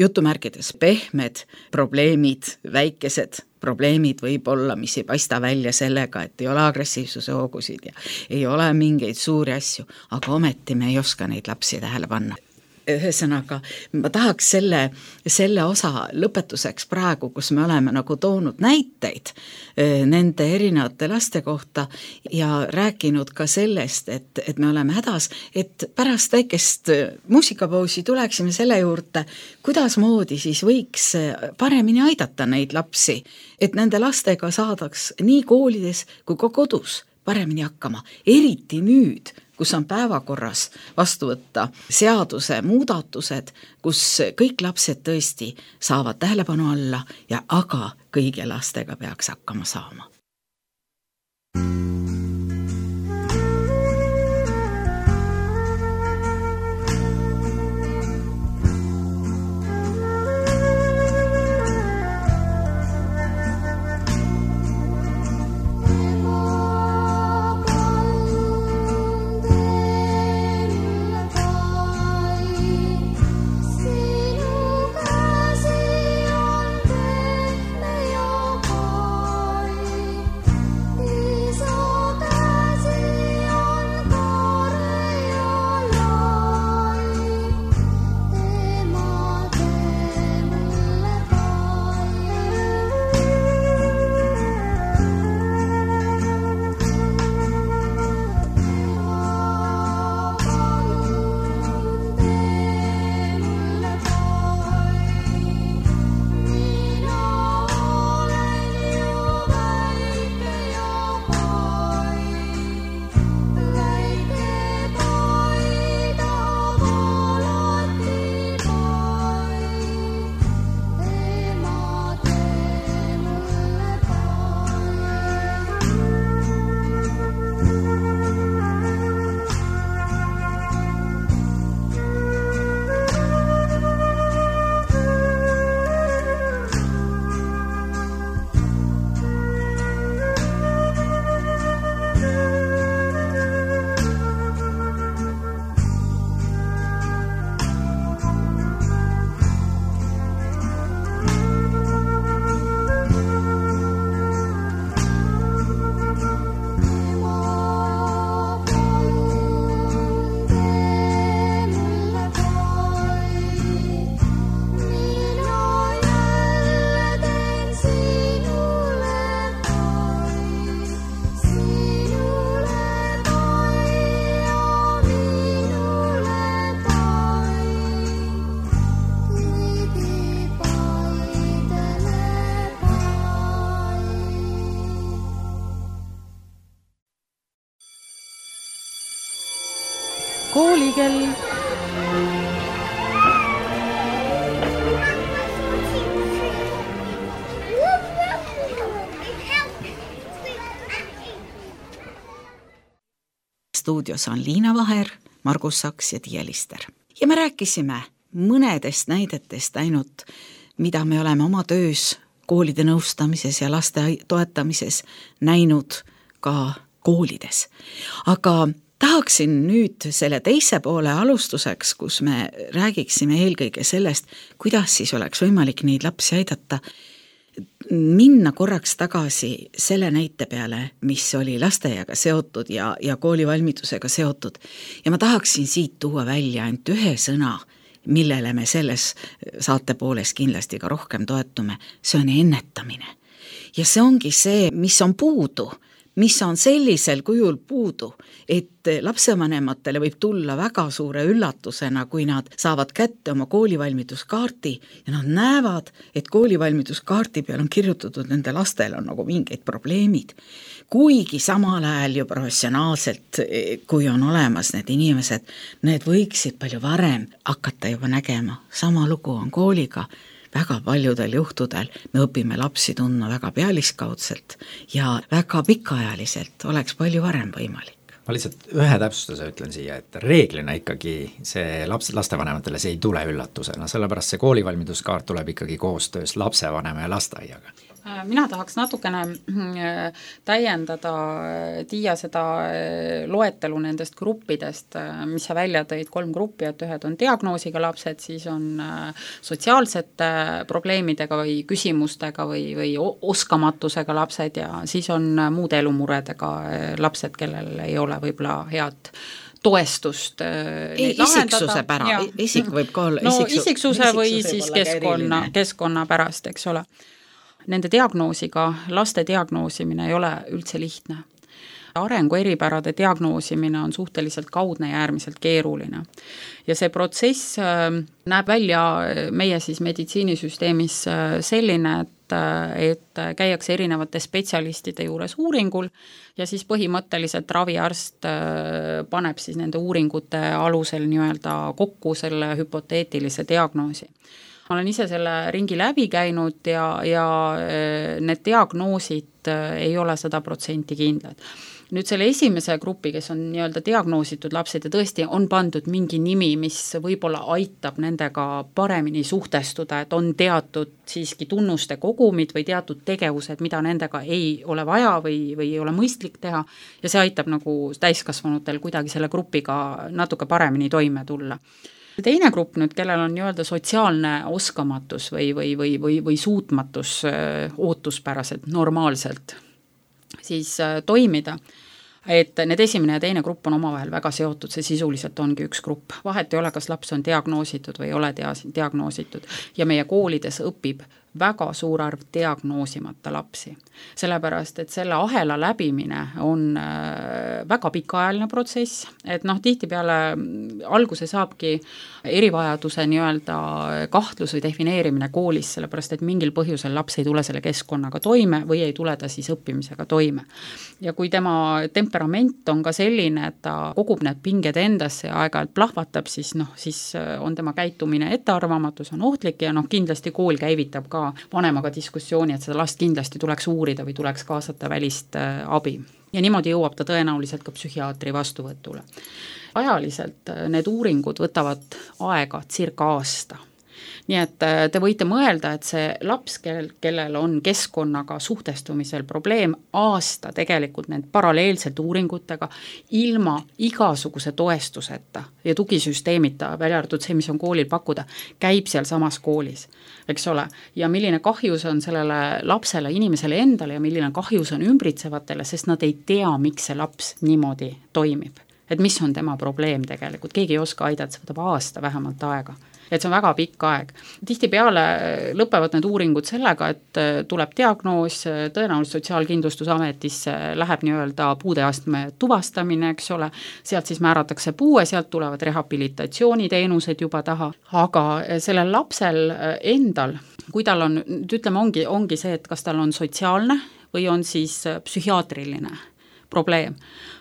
jutumärkides pehmed probleemid, väikesed probleemid võib-olla, mis ei paista välja sellega, et ei ole agressiivsuse hoogusid ja ei ole mingeid suuri asju, aga ometi me ei oska neid lapsi tähele panna. Ühesõnaga, ma tahaks selle osa lõpetuseks praegu, kus me oleme nagu toonud näiteid nende erinevate laste kohta ja rääkinud ka sellest, et me oleme hädas, et pärast väikest muusikapausi tuleksime selle juurde, kuidas moodi siis võiks paremini aidata neid lapsi, et nende lastega saadaks nii koolides kui ka kodus paremini hakkama, eriti nüüd, kus on päevakorras vastu võtta seaduse muudatused, kus kõik lapsed tõesti saavad tähelepanu alla ja aga kõigi lastega peaks hakkama saama. So koolikell. Stuudios on Liina Vaher, Margus Saks ja Tiia Lister. Ja me rääkisime mõnedest näidetest ainult, mida me oleme oma töös koolide nõustamises ja laste toetamises näinud ka koolides. Aga tahaksin nüüd selle teise poole alustuseks, kus me räägiksime eelkõige sellest, kuidas siis oleks võimalik neid lapsi aidata, minna korraks tagasi selle näite peale, mis oli lasteaiaga seotud ja koolivalmidusega seotud. Ja ma tahaksin siit tuua välja ainult ühe sõna, millele me selles saate pooles kindlasti ka rohkem toetume, see on ennetamine. Ja see ongi see, mis on puudu, mis on sellisel kujul puudu, et lapsevanematele võib tulla väga suure üllatusena, kui nad saavad kätte oma koolivalmiduskaarti ja nad näevad, et koolivalmiduskaarti peal on kirjutatud, nende lastel on nagu mingeid probleemid. Kuigi samal ajal ju professionaalselt, kui on olemas need inimesed, need võiksid palju varem hakata juba nägema. Sama lugu on kooliga. Väga paljudel juhtudel me õpime lapsi tundma väga pealiskaudselt ja väga pikaajaliselt oleks palju varem võimalik. Ma lihtsalt ühe täpsustuse ütlen siia, et reeglina ikkagi see lastevanematele see ei tule üllatusena, sellepärast see koolivalmiduskaart tuleb ikkagi koostöös lapsevanema ja lasteaiaga. Mina tahaks natukene täiendada Tiia seda loetelu nendest gruppidest, mis sa välja tõid 3 gruppi, et ühed on diagnoosiga lapsed, siis on sotsiaalsete probleemidega või küsimustega või oskamatusega lapsed ja siis on muude elumuredega lapsed, kellel ei ole võib-olla head toestust isiksuse pära, isik võib ka olla isiksuse või siis keskkonna pärast, eks ole. Nende diagnoosiga, laste diagnoosimine ei ole üldse lihtne. Arengu eripärade diagnoosimine on suhteliselt kaudne ja äärmiselt keeruline. Ja see protsess näeb välja meie siis meditsiinisüsteemis selline, et käiakse erinevate spetsialistide juures uuringul ja siis põhimõtteliselt raviarst paneb siis nende uuringute alusel nii-öelda kokku selle hüpoteetilise diagnoosi. Ma olen ise selle ringi läbi käinud ja need diagnoosid ei ole 100% kindlad. Nüüd selle esimese grupi, kes on nii-öelda diagnoositud lapsed ja tõesti on pandud mingi nimi, mis võib-olla aitab nendega paremini suhtestuda, et on teatud siiski tunnuste kogumid või teatud tegevused, mida nendega ei ole vaja või ei ole mõistlik teha ja see aitab nagu täiskasvanutel kuidagi selle grupiga natuke paremini toime tulla. Teine grupp nüüd, kellel on nii-öelda sotsiaalne oskamatus või suutmatus ootuspäraselt, normaalselt siis toimida, et need esimene ja teine grupp on omavahel väga seotud, see sisuliselt ongi üks grupp. Vahet ei ole, kas laps on diagnoositud või ei ole diagnoositud ja meie koolides õpib väga suur arv diagnoosimata lapsi. Sellepärast, et selle ahela läbimine on väga pikaajaline protsess, et tihtipeale alguse saabki erivajaduse nii-öelda kahtlus või defineerimine koolis, sellepärast, et mingil põhjusel laps ei tule selle keskkonnaga toime või ei tule ta siis õppimisega toime. Ja kui tema temperament on ka selline, et ta kogub need pinged endasse ja aeg-ajalt plahvatab, siis on tema käitumine ettearvamatus, on ohtlik ja kindlasti kool käivitab ka vanemaga diskussiooni, et seda last kindlasti tuleks uurida või tuleks kaasata välist abi. Ja niimoodi jõuab ta tõenäoliselt ka psühhiaatri vastuvõtule. Ajaliselt need uuringud võtavad aega circa aasta. Nii et te võite mõelda, et see laps, kellel on keskkonnaga suhtestumisel probleem, aasta tegelikult need paralleelselt uuringutega ilma igasuguse toestuseta ja tugisüsteemita, välja arvatud see, mis on koolil pakkuda, käib seal samas koolis, eks ole. Ja milline kahjus on sellele lapsele, inimesele endale ja milline kahjus on ümbritsevatele, sest nad ei tea, miks see laps niimoodi toimib. Et mis on tema probleem tegelikult, keegi ei oska aidata, see võtab aasta vähemalt aega. Et see on väga pikk aeg. Tihtipeale lõpevad need uuringud sellega, et tuleb diagnoos, tõenäoliselt Sotsiaalkindlustusametisse läheb nii-öelda puudeastme tuvastamine, eks ole, sealt siis määratakse puue, sealt tulevad rehabilitatsiooniteenused juba taha, aga sellel lapsel endal, kui tal on, ütleme, ongi see, et kas tal on sotsiaalne või on siis psühhiaatriline probleem,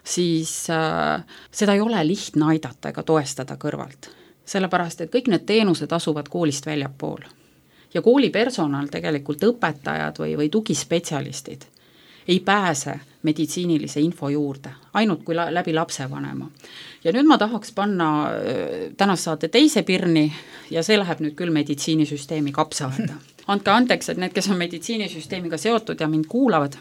siis seda ei ole lihtne aidata ega toestada kõrvalt. Sellepärast, et kõik need teenused asuvad koolist väljapool. Ja koolipersonal, tegelikult õpetajad või tugispetsialistid ei pääse meditsiinilise info juurde, ainult kui läbi lapsevanema. Ja nüüd ma tahaks panna tänast saate teise pirni ja see läheb nüüd küll meditsiinisüsteemi kapsaaeda. Andke andeks, et need, kes on meditsiinisüsteemiga seotud ja mind kuulavad,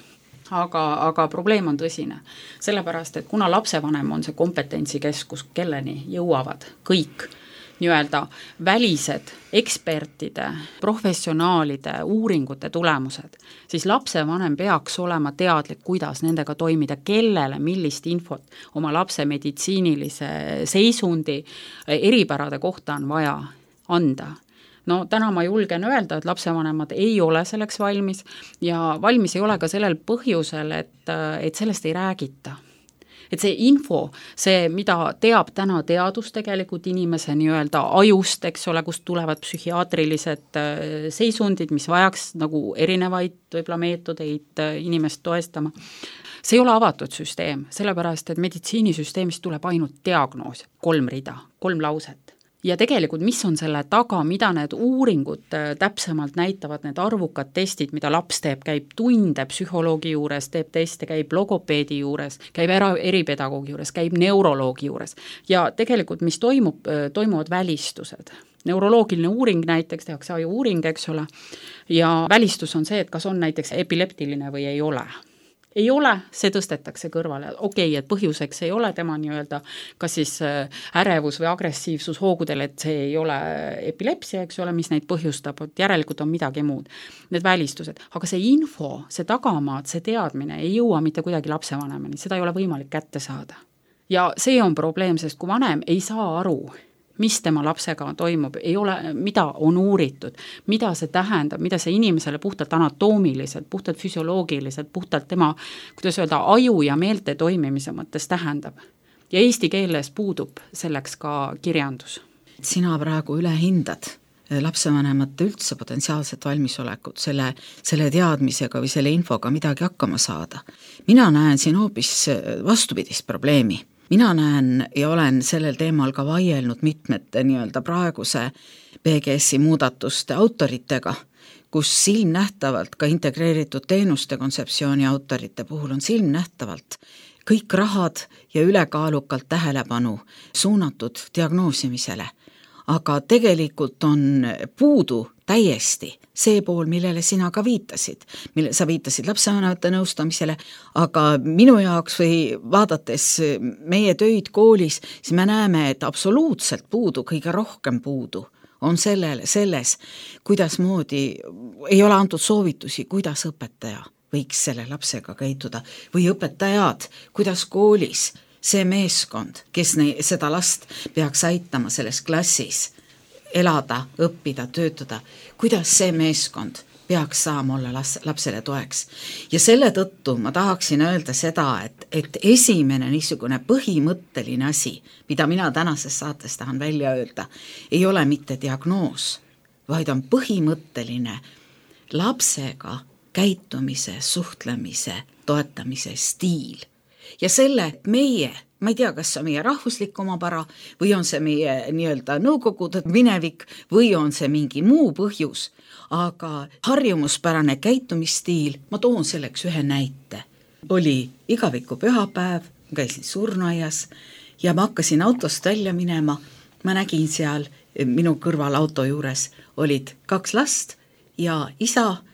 aga probleem on tõsine. Sellepärast, et kuna lapsevanem on see kompetentsikeskus, kelleni jõuavad kõik nii-öelda välised ekspertide, professionaalide, uuringute tulemused, siis lapsevanem peaks olema teadlik, kuidas nendega toimida, kellele millist infot oma lapse meditsiinilise seisundi eripärade kohta on vaja anda. No täna ma julgen öelda, et lapsevanemad ei ole selleks valmis ja valmis ei ole ka sellel põhjusel, et sellest ei räägita. Et see info, see, mida teab täna teadus tegelikult inimese nii-öelda ajust, eks ole, kust tulevad psühhiaatrilised seisundid, mis vajaks nagu erinevaid võib-olla meetodeid inimest toestama. See ei ole avatud süsteem, sellepärast, et meditsiinisüsteemist tuleb ainult diagnoos, 3 rida, 3 lauset. Ja tegelikult, mis on selle taga, mida need uuringud täpsemalt näitavad, need arvukad testid, mida laps teeb, käib tunde psühholoogi juures, teeb teste, käib logopeedi juures, käib eripedagoogi juures, käib neuroloogi juures ja tegelikult, mis toimuvad välistused. Neuroloogiline uuring näiteks, tehakse aju uuring, eks ole, ja välistus on see, et kas on näiteks epileptiline või ei ole. Ei ole, see tõstetakse kõrvale. Okei, et põhjuseks ei ole tema nii-öelda kas siis ärevus või agressiivsus hoogudel, et see ei ole epilepsia, eks ole, mis neid põhjustab, et järelikult on midagi muud. Need välistused. Aga see info, see tagamaad, see teadmine ei jõua mitte kuidagi lapsevanemani, seda ei ole võimalik kätte saada. Ja see on probleem, sest kui vanem ei saa aru, mis tema lapsega toimub, ei ole, mida on uuritud, mida see tähendab, mida see inimesele puhtalt anatoomiliselt, puhtalt füsioloogiliselt, puhtalt tema, kuidas öelda, aju ja meelte toimimise mõttes tähendab. Ja eesti keeles puudub selleks ka kirjandus. Sina praegu ülehindad lapsevanemate üldse potentsiaalset valmisolekut selle teadmisega või selle infoga midagi hakkama saada. Mina näen siin hoopis vastupidist probleemi. Mina näen ja olen sellel teemal ka vaielnud mitmete nii-öelda praeguse PGS-i muudatuste autoritega, kus silmnähtavalt ka integreeritud teenuste kontseptsiooni autorite puhul on silmnähtavalt kõik rahad ja ülekaalukalt tähelepanu suunatud diagnoosimisele. Aga tegelikult on puudu täiesti see pool, millele sina ka viitasid, mille sa viitasid lapsevanemate nõustamisele, aga minu jaoks või vaadates meie töid koolis, siis me näeme, et absoluutselt puudu, kõige rohkem puudu on selles, kuidas moodi ei ole antud soovitusi, kuidas õpetaja võiks selle lapsega käituda või õpetajad, kuidas koolis see meeskond, kes seda last peaks aitama selles klassis elada, õppida, töötada, kuidas see meeskond peaks saama olla lapsele toeks. Ja selle tõttu ma tahaksin öelda seda, et esimene niisugune põhimõtteline asi, mida mina tänases saates tahan välja öelda, ei ole mitte diagnoos, vaid on põhimõtteline lapsega käitumise, suhtlemise, toetamise stiil. Ja selle meie, ma ei tea, kas see on meie rahvuslik omapära või on see meie nii-öelda nõukogude minevik või on see mingi muu põhjus, aga harjumuspärane käitumisstiil, ma toon selleks ühe näite. Oli igaviku pühapäev, käisin surnuaias ja ma hakkasin autost välja minema, ma nägin seal minu kõrval auto juures olid 2 last ja isa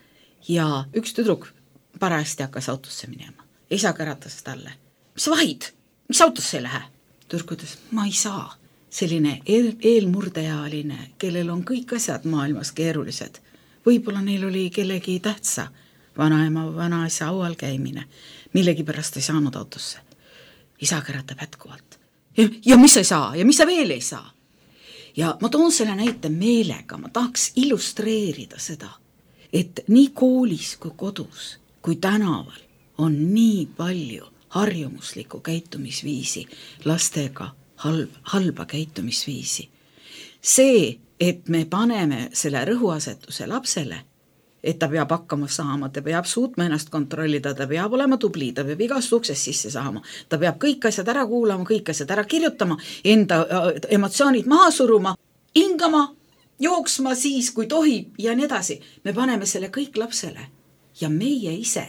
ja üks tüdruk parajasti hakkas autosse minema. Isa käratas talle. Mis vahid? Mis autosse ei lähe? Tüdruk ütles, ma ei saa. Selline eelmurdeealine, kellel on kõik asjad maailmas keerulised. Võib-olla neil oli kellegi tähtsa, vanaema, vanaisa aual käimine. Millegi pärast ei saanud autosse. Isa käratab jätkuvalt. Ja mis sa ei saa? Ja mis sa veel ei saa? Ja ma toon selle näite meelega, ma tahaks illustreerida seda, et nii koolis kui kodus, kui tänaval on nii palju harjumuslikku käitumisviisi, lastega halba käitumisviisi. See, et me paneme selle rõhuasetuse lapsele et ta peab hakkama saama, ta peab suutma ennast kontrollida, ta peab olema tubli, ta peab igast uksest sisse saama, ta peab kõik asjad ära kuulama, kõik asjad ära kirjutama, enda emotsioonid maha suruma, hingama, jooksma siis, kui tohib ja nii edasi. Me paneme selle kõik lapsele ja meie ise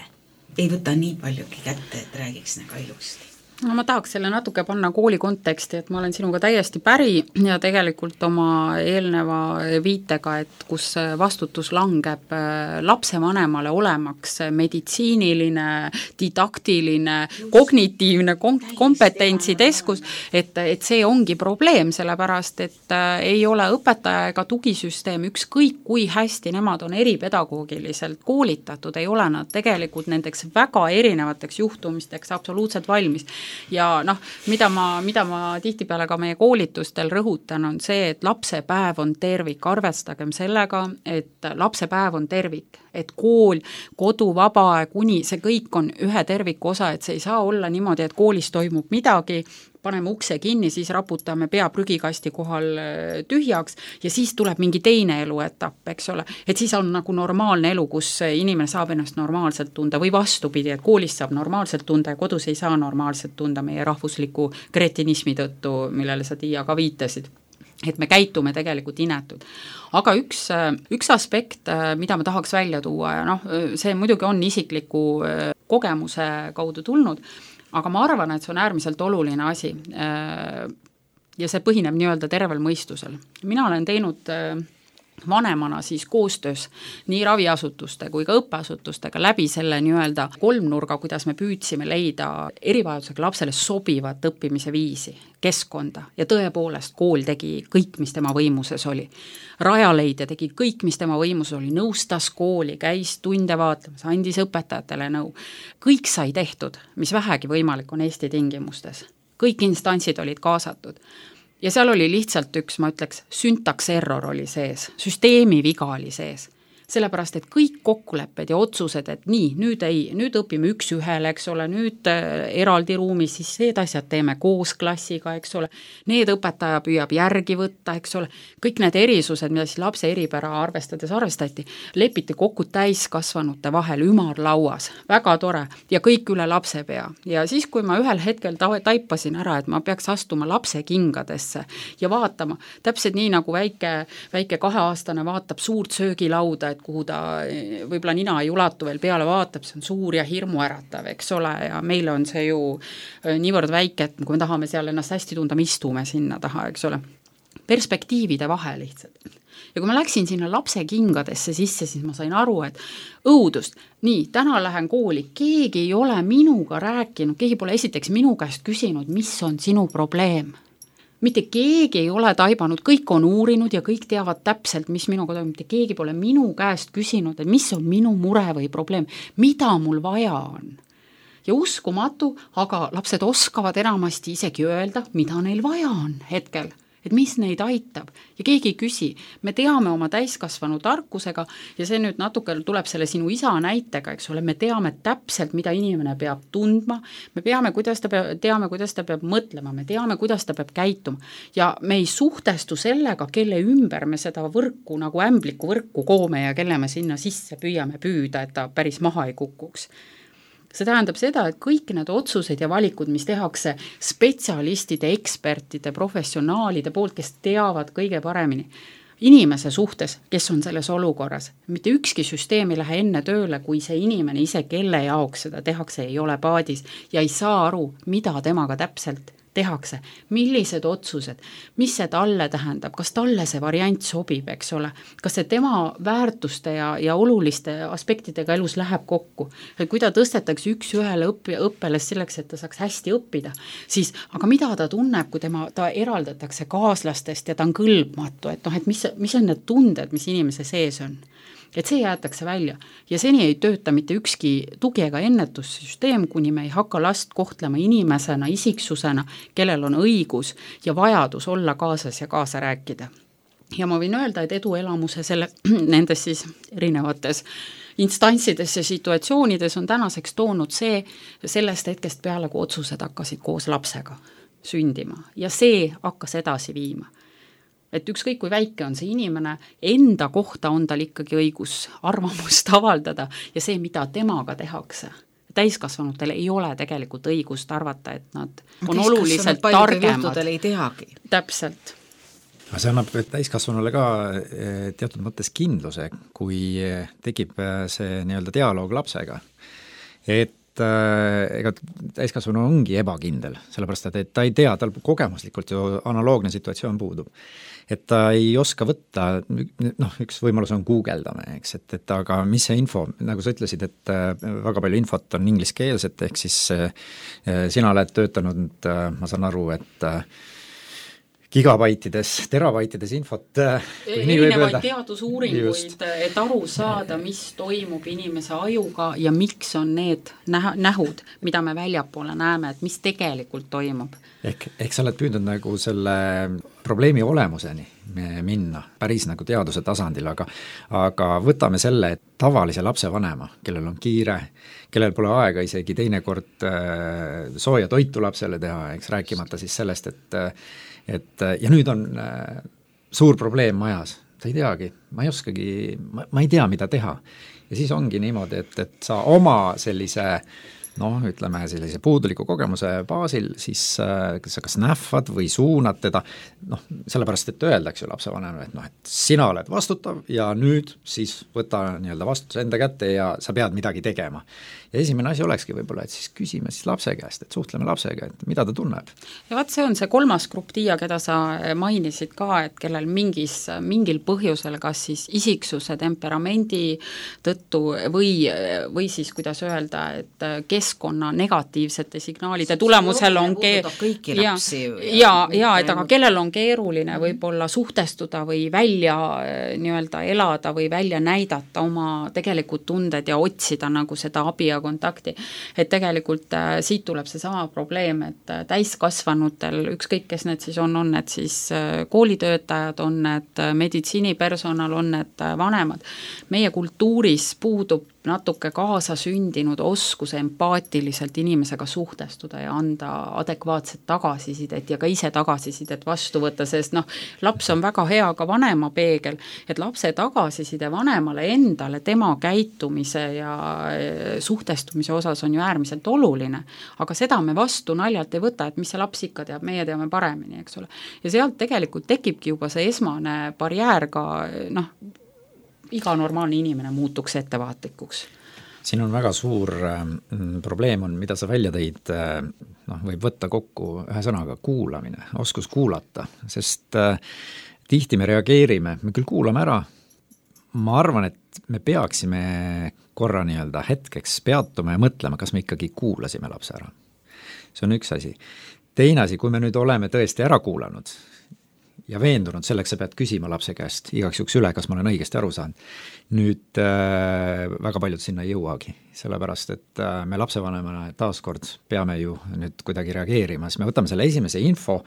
ei võta nii paljugi kätte, et räägiks nagu ilusti. No ma tahaks selle natuke panna kooli konteksti, et ma olen sinuga täiesti päri ja tegelikult oma eelneva viitega, et kus vastutus langeb lapsevanemale olemaks meditsiiniline, didaktiline, kognitiivne kompetentsiteskus, et see ongi probleem, sellepärast, et ei ole õpetaja ega tugisüsteem, ükskõik kui hästi nemad on eripedagoogiliselt koolitatud, ei ole nad tegelikult nendeks väga erinevateks juhtumisteks absoluutselt valmis. Ja mida ma tihtipeale ka meie koolitustel rõhutan, on see, et lapsepäev on tervik, arvestagem sellega, et lapsepäev on tervik, et kool, kodu, vabaaeg, uni, see kõik on ühe terviku osa, et see ei saa olla niimoodi, et koolis toimub midagi, paneme ukse kinni, siis raputame pea prügikasti kohal tühjaks ja siis tuleb mingi teine eluetapp, eks ole. Et siis on nagu normaalne elu, kus inimene saab ennast normaalselt tunda või vastupidi, et koolis saab normaalselt tunda ja kodus ei saa normaalselt tunda meie rahvusliku kretinismi tõttu, millele sa, Tiia, ka viitasid. Et me käitume tegelikult inetud. Aga üks aspekt, mida ma tahaks välja tuua ja see muidugi on isikliku kogemuse kaudu tulnud, aga ma arvan, et see on äärmiselt oluline asi ja see põhineb nii-öelda tervel mõistusel. Mina olen teinud vanemana siis koostöös nii raviasutuste kui ka õppeasutustega läbi selle nii-öelda kolmnurga, kuidas me püüdsime leida erivajadusega lapsele sobivat õppimise viisi, keskkonda ja tõepoolest kool tegi kõik, mis tema võimuses oli. Rajaleidja tegi kõik, mis tema võimuses oli, nõustas kooli, käis tunde vaatamas, andis õpetajatele nõu. Kõik sai tehtud, mis vähegi võimalik on Eesti tingimustes. Kõik instantsid olid kaasatud. Ja seal oli lihtsalt üks, ma ütleks, syntaks error oli sees, süsteemi viga oli sees. Sellepärast, et kõik kokkulepped ja otsused, et nii, nüüd õpime üks ühele, eks ole, nüüd eraldi ruumis, siis need asjad teeme koos klassiga, eks ole, need õpetaja püüab järgi võtta, eks ole, kõik need erisused, mida siis lapse eripära arvestati, lepiti kokku täiskasvanute vahel ümarlauas, väga tore ja kõik üle lapse pea. Ja siis, kui ma ühel hetkel taipasin ära, et ma peaks astuma lapse kingadesse ja vaatama, täpselt nii nagu väike 2-aastane vaatab suurt söögilauda, kuhu ta võib-olla nina ei ulatu veel peale vaatab, see on suur ja hirmu äratav, eks ole, ja meile on see ju niivõrd väike, et kui me tahame seal ennast hästi tunda, me istume sinna taha, eks ole. Perspektiivide vahe lihtsalt. Ja kui ma läksin sinna lapse kingadesse sisse, siis ma sain aru, et õudust, nii, täna lähen kooli, keegi ei ole minuga rääkinud, keegi pole esiteks minu käest küsinud, mis on sinu probleem. Mitte keegi ei ole taibanud, kõik on uurinud ja kõik teavad täpselt, mis minuga toimub, mitte keegi pole minu käest küsinud, et mis on minu mure või probleem, mida mul vaja on. Ja uskumatu, aga lapsed oskavad enamasti isegi öelda, mida neil vaja on hetkel, et mis neid aitab ja keegi ei küsi. Me teame oma täiskasvanu tarkusega ja see nüüd natuke tuleb selle sinu isa näitega, eks ole, me teame täpselt, mida inimene peab tundma, me teame, kuidas ta peab mõtlema, me teame, kuidas ta peab käituma ja me ei suhtestu sellega, kelle ümber me seda võrku nagu ämbliku võrku koome ja kelle me sinna sisse püüame püüda, et ta päris maha ei kukuks. See tähendab seda, et kõik need otsused ja valikud, mis tehakse spetsialistide, ekspertide, professionaalide poolt, kes teavad kõige paremini inimese suhtes, kes on selles olukorras. Mitte ükski süsteem ei lähe enne tööle, kui see inimene ise, kelle jaoks seda tehakse, ei ole paadis ja ei saa aru, mida temaga täpselt tehakse, millised otsused, mis see talle tähendab, kas talle see variant sobib, eks ole, kas see tema väärtuste ja oluliste aspektidega elus läheb kokku, et kui ta tõstetakse üks ühele õppeles selleks, et ta saaks hästi õppida, siis, aga mida ta tunneb, kui ta eraldatakse kaaslastest ja ta on kõlbmatu, et et mis on need tunded, mis inimese sees on. Et see jäetakse välja ja seni ei tööta mitte ükski tugi ega ennetussüsteem, kuni me ei hakka last kohtlema inimesena, isiksusena, kellel on õigus ja vajadus olla kaasas ja kaasa rääkida. Ja ma võin öelda, et eduelamuse nendes siis erinevates instantsides ja situatsioonides on tänaseks toonud sellest hetkest peale, kui otsused hakkasid koos lapsega sündima ja see hakkas edasi viima. et ükskõik kui väike on see inimene, enda kohta on tal ikkagi õigus arvamust avaldada ja see, mida temaga tehakse. Täiskasvanutel ei ole tegelikult õigust arvata, et nad on oluliselt targemad. Ei teagi. Täpselt. See annab täiskasvanule ka teatud mõttes kindluse, kui tekib see nii-öelda dialoog lapsega. Et ega täiskasvanu ongi ebakindel, sellepärast et ta ei tea, tal kogemuslikult ju analoogne situatsioon puudub. Et ta ei oska võtta, üks võimalus on guugeldame, eks, et aga mis see info, nagu sa ütlesid, et väga palju infot on ingliskeelset, ehk siis sina oled töötanud, ma saan aru, et gigabaitides, terabaitides infot. Erinevaid teadusuuringuid, et aru saada, mis toimub inimese ajuga ja miks on need nähud, mida me väljapoole näeme, et mis tegelikult toimub. Ehk sa oled püüdnud nagu selle probleemi olemuseni minna, päris nagu teaduse tasandil, aga võtame selle, et tavalise lapsevanema, kellel on kiire, kellel pole aega isegi teinekord sooja toitu lapsele teha, eks rääkimata siis sellest, et ja nüüd on suur probleem majas, sa ei teagi, ma ei oskagi, ma ei tea, mida teha. Ja siis ongi niimoodi, et sa oma sellise ütleme sellise puuduliku kogemuse baasil, siis sa kas nähvad või suunad teda, sellepärast, et öeldakse ju lapsevanemale, et sina oled vastutav ja nüüd siis võta nii-öelda vastutuse enda kätte ja sa pead midagi tegema. Ja esimene asi olekski võib-olla, et siis küsime siis lapse käest, et suhtleme lapsega, et mida ta tunneb. Ja vaat see on see kolmas grupp Tiia, keda sa mainisid ka, et kellel mingil põhjusel, kas siis isiksuse temperamendi tõttu või siis, kuidas öelda, et keskkonna negatiivsete signaalide tulemusel on kõiki lapsi. Et aga kellel on keeruline võib-olla suhtestuda või välja nii-öelda elada või välja näidata oma tegelikult tunded ja otsida nagu seda abi ja kontakti, et tegelikult siit tuleb see sama probleem, et täiskasvanutel, ükskõik kes need siis on need siis koolitöötajad, on need meditsiinipersonal, on need vanemad, meie kultuuris puudub natuke kaasasündinud oskus empaatiliselt inimesega suhtestuda ja anda adekvaatset tagasisidet ja ka ise tagasisidet vastu võtta, sest laps on väga hea ka vanema peegel, et lapse tagasiside vanemale endale, tema käitumise ja suhtestumise osas on ju äärmiselt oluline, aga seda me vastu naljalt ei võta, et mis see laps ikka teab, meie teame paremini, eks ole. Ja sealt tegelikult tekibki juba see esmane barjäär ka, iga normaalne inimene muutuks ettevaatlikuks. Siin on väga suur probleem on, mida sa välja tõid, võib võtta kokku ühe sõnaga kuulamine, oskus kuulata, sest tihti me reageerime, me küll kuulame ära, ma arvan, et me peaksime korra nii-öelda hetkeks peatuma ja mõtlema, kas me ikkagi kuulasime lapse ära. See on üks asi. Teine asi, kui me nüüd oleme tõesti ära kuulanud ja veendunud, selleks sa pead küsima lapse käest igaks juhuks üle, kas ma olen õigesti aru saanud. Nüüd väga paljud sinna ei jõuagi, sellepärast et me lapsevanemana taaskord peame ju nüüd kuidagi reageerima, siis me võtame selle esimese info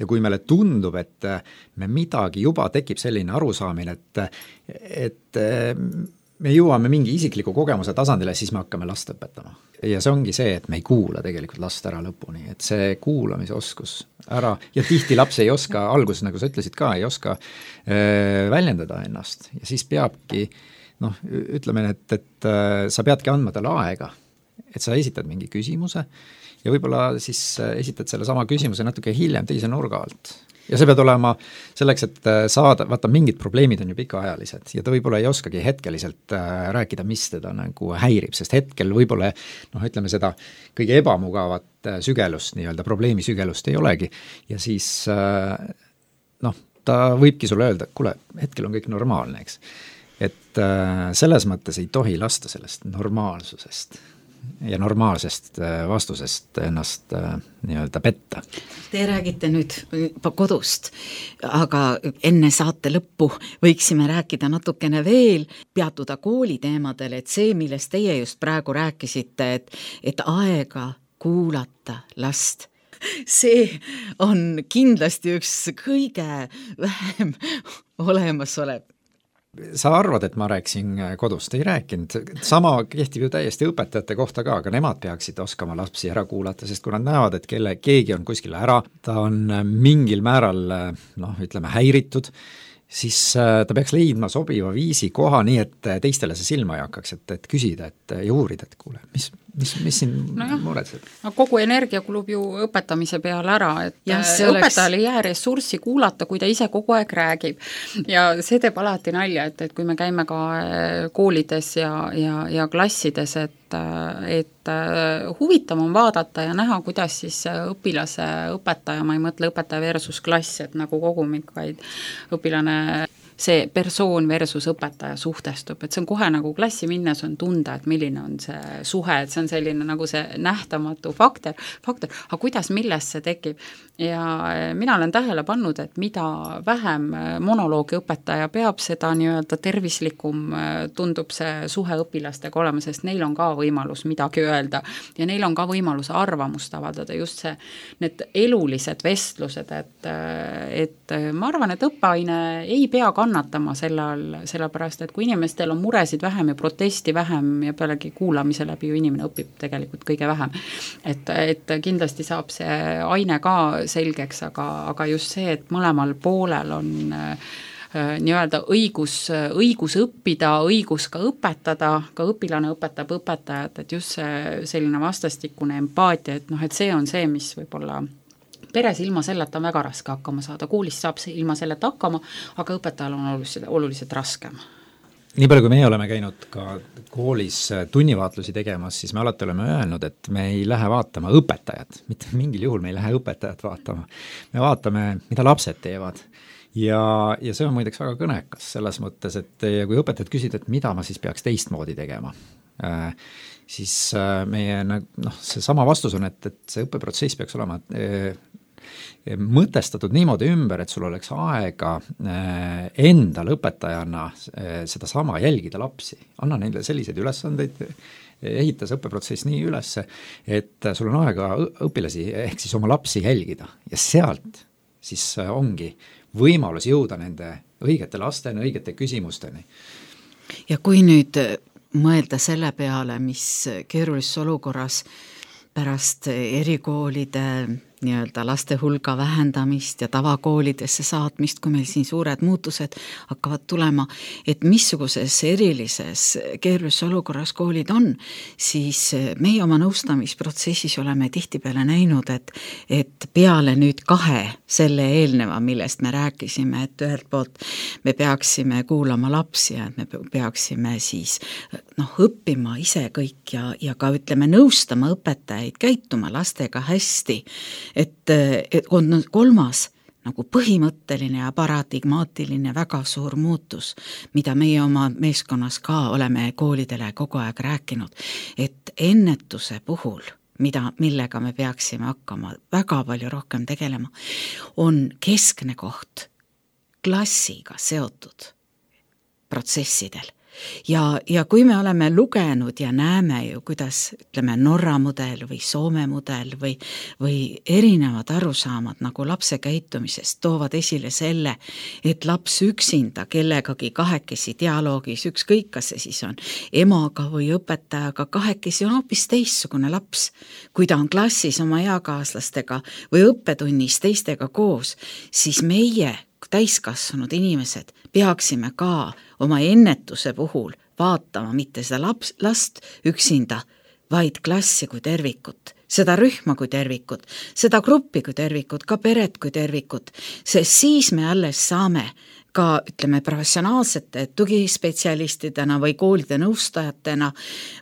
ja kui meile tundub, et me midagi juba tekib selline arusaamine, et me jõuame mingi isikliku kogemuse tasandile, siis me hakkame last õpetama. Ja see ongi see, et me ei kuula tegelikult last ära lõpuni, et see kuulamise oskus ära, ja tihti laps ei oska, alguses, nagu sa ütlesid ka, ei oska väljendada ennast ja siis peabki, ütleme, et sa peadki andma talle aega, et sa esitad mingi küsimuse ja võib-olla siis esitad selle sama küsimuse natuke hiljem teise nurga alt. Ja see pead olema selleks, et saada, vaata mingid probleemid on ju pikaajalised ja ta võib-olla ei oskagi hetkeliselt rääkida, mis teda nagu häirib, sest hetkel võib-olla, ütleme seda kõige ebamugavat sügelust, nii-öelda probleemi sügelust ei olegi ja siis ta võibki sulle öelda, kuule, hetkel on kõik normaalne, eks. Et selles mõttes ei tohi lasta sellest normaalsusest ja normaalsest vastusest ennast nii-öelda petta. Te räägite nüüd kodust, aga enne saate lõppu võiksime rääkida natukene veel, peatuda kooliteemadel, et see, millest teie just praegu rääkisite, et aega kuulata last, see on kindlasti üks kõige vähem olemasolev sa arvad, et ma rääkisin kodust, ei rääkinud, sama kehtib ju täiesti õpetajate kohta ka, aga nemad peaksid oskama lapsi ära kuulata, sest kui nad näevad, et keegi on kuskil ära, ta on mingil määral ütleme häiritud, siis ta peaks leidma sobiva viisi koha nii, et teistele see silma ei hakkaks, et küsida ja uurida, et kuule, mis siin muretseb? Kogu energia kulub ju õpetamise peale ära, et õpetajal ei jää ressurssi kuulata, kui ta ise kogu aeg räägib. Ja see teeb alati nalja, et kui me käime ka koolides ja klassides, et huvitav on vaadata ja näha, kuidas siis õpilase õpetaja, ma ei mõtle õpetaja versus klass, et nagu kogumik, vaid õpilane see persoon versus õpetaja suhtestub, et see on kohe nagu klassi minnes on tunda, et milline on see suhe, et see on selline nagu see nähtamatu faktor, aga kuidas, milles see tekib. Ja mina olen tähele pannud, et mida vähem monoloogi õpetaja peab, seda nii-öelda tervislikum tundub see suhe õpilastega olema, sest neil on ka võimalus midagi öelda ja neil on ka võimalus arvamust avaldada, just see, need elulised vestlused, et ma arvan, et õppeaine ei pea kannatama sellepärast, et kui inimestel on muresid vähem ja protesti vähem ja pealegi kuulamise läbi ju inimene õpib tegelikult kõige vähem, et kindlasti saab see aine ka selgeks, aga just see, et mõlemal poolel on nii-öelda õigus õppida, õigus ka õpetada, ka õpilane õpetab õpetajat, et just see selline vastastikune empaatia, et see on see, mis võib-olla peres ilma selleta on väga raske hakkama saada, koolis saab see ilma selleta hakkama, aga õpetajal on oluliselt raskem. Nii palju, kui meie oleme käinud ka koolis tunnivaatlusi tegemas, siis me alati oleme öelnud, et me ei lähe vaatama õpetajat, mitte mingil juhul me ei lähe õpetajat vaatama. Me vaatame, mida lapsed teevad. Ja see on muideks väga kõnekas selles mõttes, et kui õpetajad küsid, et mida ma siis peaks teistmoodi tegema, siis meie see sama vastus on, et see õppeprotsess peaks olema mõtestatud niimoodi ümber, et sul oleks aega endal õpetajana seda sama jälgida lapsi. Anna neile selliseid ülesandeid, ehita see õppeprotsess nii üles, et sul on aega õpilasi ehk siis oma lapsi jälgida ja sealt siis ongi võimalus jõuda nende õigete lasteni, õigete küsimusteni. Ja kui nüüd mõelda selle peale, mis keerulises olukorras pärast erikoolide nii-öelda laste hulga vähendamist ja tavakoolidesse saatmist, kui meil siin suured muutused hakkavad tulema, et missuguses erilises keerulises olukorras koolid on, siis meie oma nõustamisprotsessis oleme tihtipeale näinud, et peale nüüd 2 selle eelneva, millest me rääkisime, et ühelt poolt me peaksime kuulama lapsi ja et me peaksime siis õppima ise kõik ja ka ütleme nõustama õpetajaid käituma lastega hästi, et on 3. nagu põhimõtteline ja paradigmaatiline väga suur muutus, mida meie oma meeskonnas ka oleme koolidele kogu aeg rääkinud, et ennetuse puhul, millega me peaksime hakkama väga palju rohkem tegelema, on keskne koht klassiga seotud protsessidel. Ja kui me oleme lugenud ja näeme ju, kuidas ütleme Norra mudel või Soome mudel või erinevad arusaamad nagu lapse käitumisest toovad esile selle, et laps üksinda kellegagi kahekesi dialoogis, ükskõik kas see siis on emaga või õpetajaga, kahekesi on hoopis teistsugune laps, kui ta on klassis oma eakaaslastega või õppetunnis teistega koos, siis meie täiskasvanud inimesed peaksime ka oma ennetuse puhul vaatama mitte seda last üksinda, vaid klassi kui tervikut, seda rühma kui tervikut, seda gruppi kui tervikut, ka peret kui tervikut, sest siis me alles saame ka ütleme professionaalsete tugispetsialistidena või koolide nõustajatena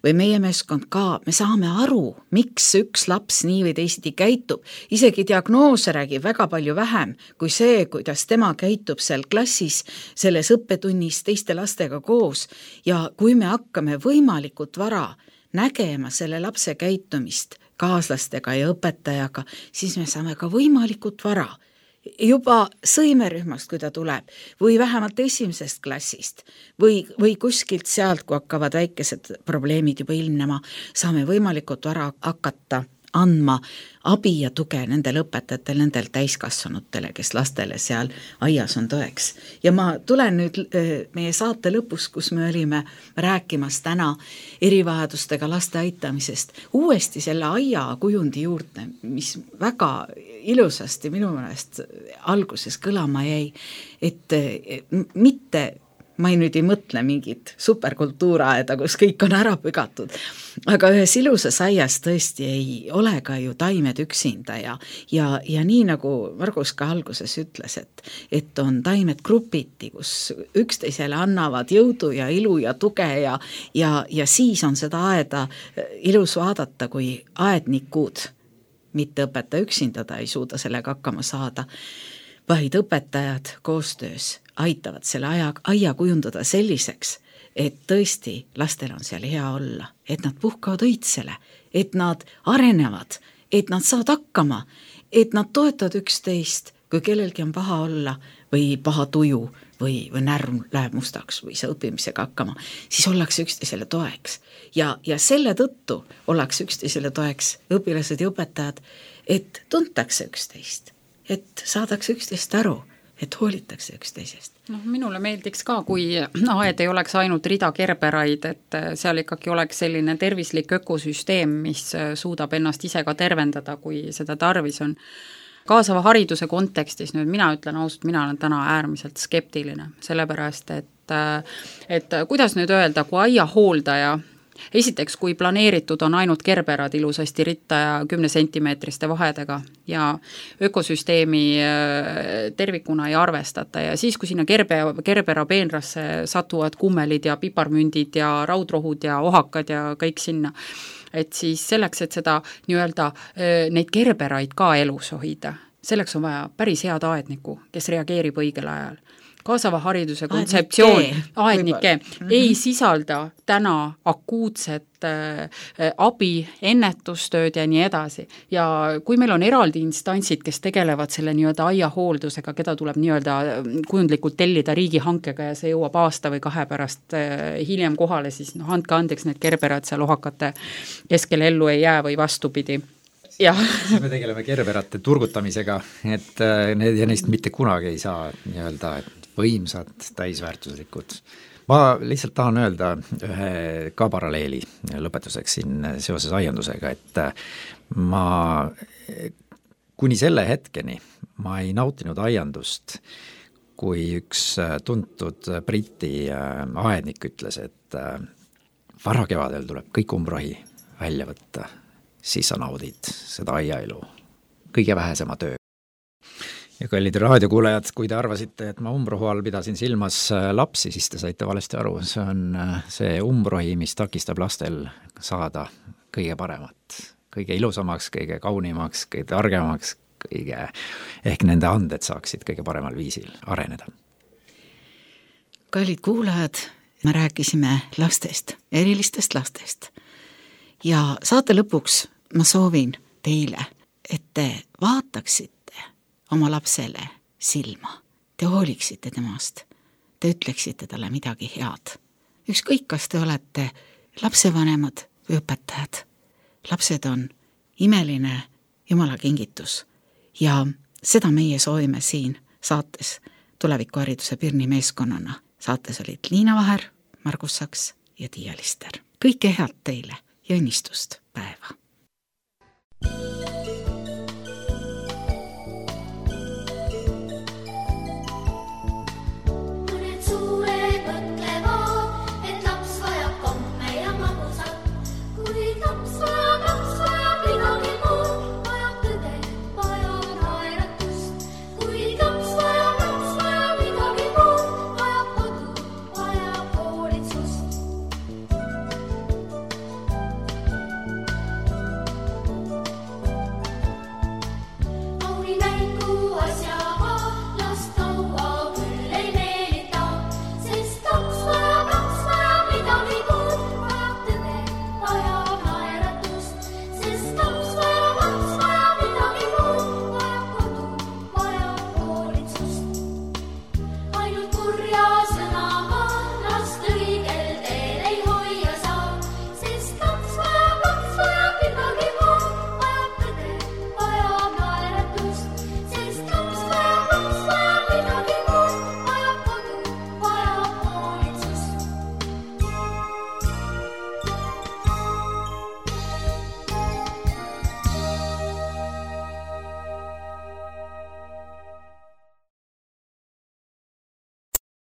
või meie meeskond ka, me saame aru, miks üks laps nii või teisiti käitub. Isegi diagnoose räägib väga palju vähem kui see, kuidas tema käitub seal klassis, selles õppetunnis teiste lastega koos ja kui me hakkame võimalikult vara nägema selle lapse käitumist kaaslastega ja õpetajaga, siis me saame ka võimalikult vara juba sõimerühmast, kui ta tuleb, või vähemalt 1. klassist või kuskilt sealt, kui hakkavad väikesed probleemid juba ilmnema, saame võimalikult vara hakata andma abi ja tuge nendele õpetajatele, nendele täiskasvanutele, kes lastele seal aias on tõeks. Ja ma tulen nüüd meie saate lõpus, kus me olime rääkimas täna erivajadustega laste aitamisest, uuesti selle aia kujundi juurde, mis väga ilusasti minu meelest alguses kõlama jäi, et mitte ma nüüd ei mõtle mingit superkultuuraeda, kus kõik on ära pügatud, aga ühes ilusas aias tõesti ei ole ka ju taimed üksinda ja nii nagu Margus ka alguses ütles, et on taimed grupiti, kus üksteisele annavad jõudu ja ilu ja tuge ja siis on seda aeda ilus vaadata, kui aednikud, mitte õpetaja üksinda, ta ei suuda sellega hakkama saada, vaid õpetajad koostöös aitavad selle aia kujundada selliseks, et tõesti lastel on seal hea olla, et nad puhkavad õitsele, et nad arenevad, et nad saavad hakkama, et nad toetavad üksteist, kui kellelgi on paha olla või paha tuju või närv läheb mustaks või sa õppimisega hakkama, siis ollakse üksteisele toeks. Ja selle tõttu ollakse üksteisele toeks õpilased ja õpetajad, et tuntakse üksteist, et saadakse üksteist aru, et hoolitakse üksteisest. Minule meeldiks ka, kui aed ei oleks ainult rida kerberaid, et seal ikkagi oleks selline tervislik ökosüsteem, mis suudab ennast ise ka tervendada, kui seda tarvis on. Kaasava hariduse kontekstis nüüd mina ütlen ausalt, mina olen täna äärmiselt skeptiline, sellepärast, et kuidas nüüd öelda, kui aia hooldaja esiteks, kui planeeritud on ainult kerberad ilusasti ritta ja 10 sentimeetriste vahedega ja ökosüsteemi tervikuna ei arvestata ja siis, kui sinna kerbera peenrasse satuvad kummelid ja piparmündid ja raudrohud ja ohakad ja kõik sinna, et siis selleks, et seda nii-öelda neid kerberaid ka elus hoida, selleks on vaja päris head aednikku, kes reageerib õigel ajal. Kaasava hariduse kontseptsioon, aednike, ei sisalda täna akuutset abi, ennetustööd ja nii edasi. Ja kui meil on eraldi instantsid, kes tegelevad selle nii-öelda aiahooldusega, keda tuleb nii-öelda kujundlikult tellida riigihankega ja see jõuab aasta või 2 pärast hiljem kohale, siis andke andeks, need kerberad seal ohakate keskel ellu ei jää või vastupidi. Ja. Me tegeleme kerberate turgutamisega, et neist mitte kunagi ei saa nii-öelda võimsad, täisväärtuslikud. Ma lihtsalt tahan öelda ühe ka paralleeli lõpetuseks siin seoses aiandusega, et ma kuni selle hetkeni ma ei nautinud aiandust, kui üks tuntud Briti aednik ütles, et varakevadel tuleb kõik umbrohi välja võtta, siis sa naudid seda aiaelu kõige vähesema töö. Ja kallid raadiokuulajad, kui te arvasite, et ma umbrohu all pidasin silmas lapsi, siis te saite valesti aru, see on see umbrohi, mis takistab lastel saada kõige paremat, kõige ilusamaks, kõige kaunimaks, kõige targemaks, ehk nende anded saaksid kõige paremal viisil areneda. Kallid kuulajad, me rääkisime lastest, erilistest lastest ja saate lõpuks ma soovin teile, et te vaataksite oma lapsele silma, te hooliksite temast, te ütleksite talle midagi head. Ükskõik, kas te olete lapsevanemad või õpetajad. Lapsed on imeline Jumala kingitus ja seda meie soovime siin saates Tulevikuhariduse Pirni meeskonnana. Saates olid Liina Vaher, Margus Saks ja Tiia Lister. Kõike head teile ja õnnistust päeva!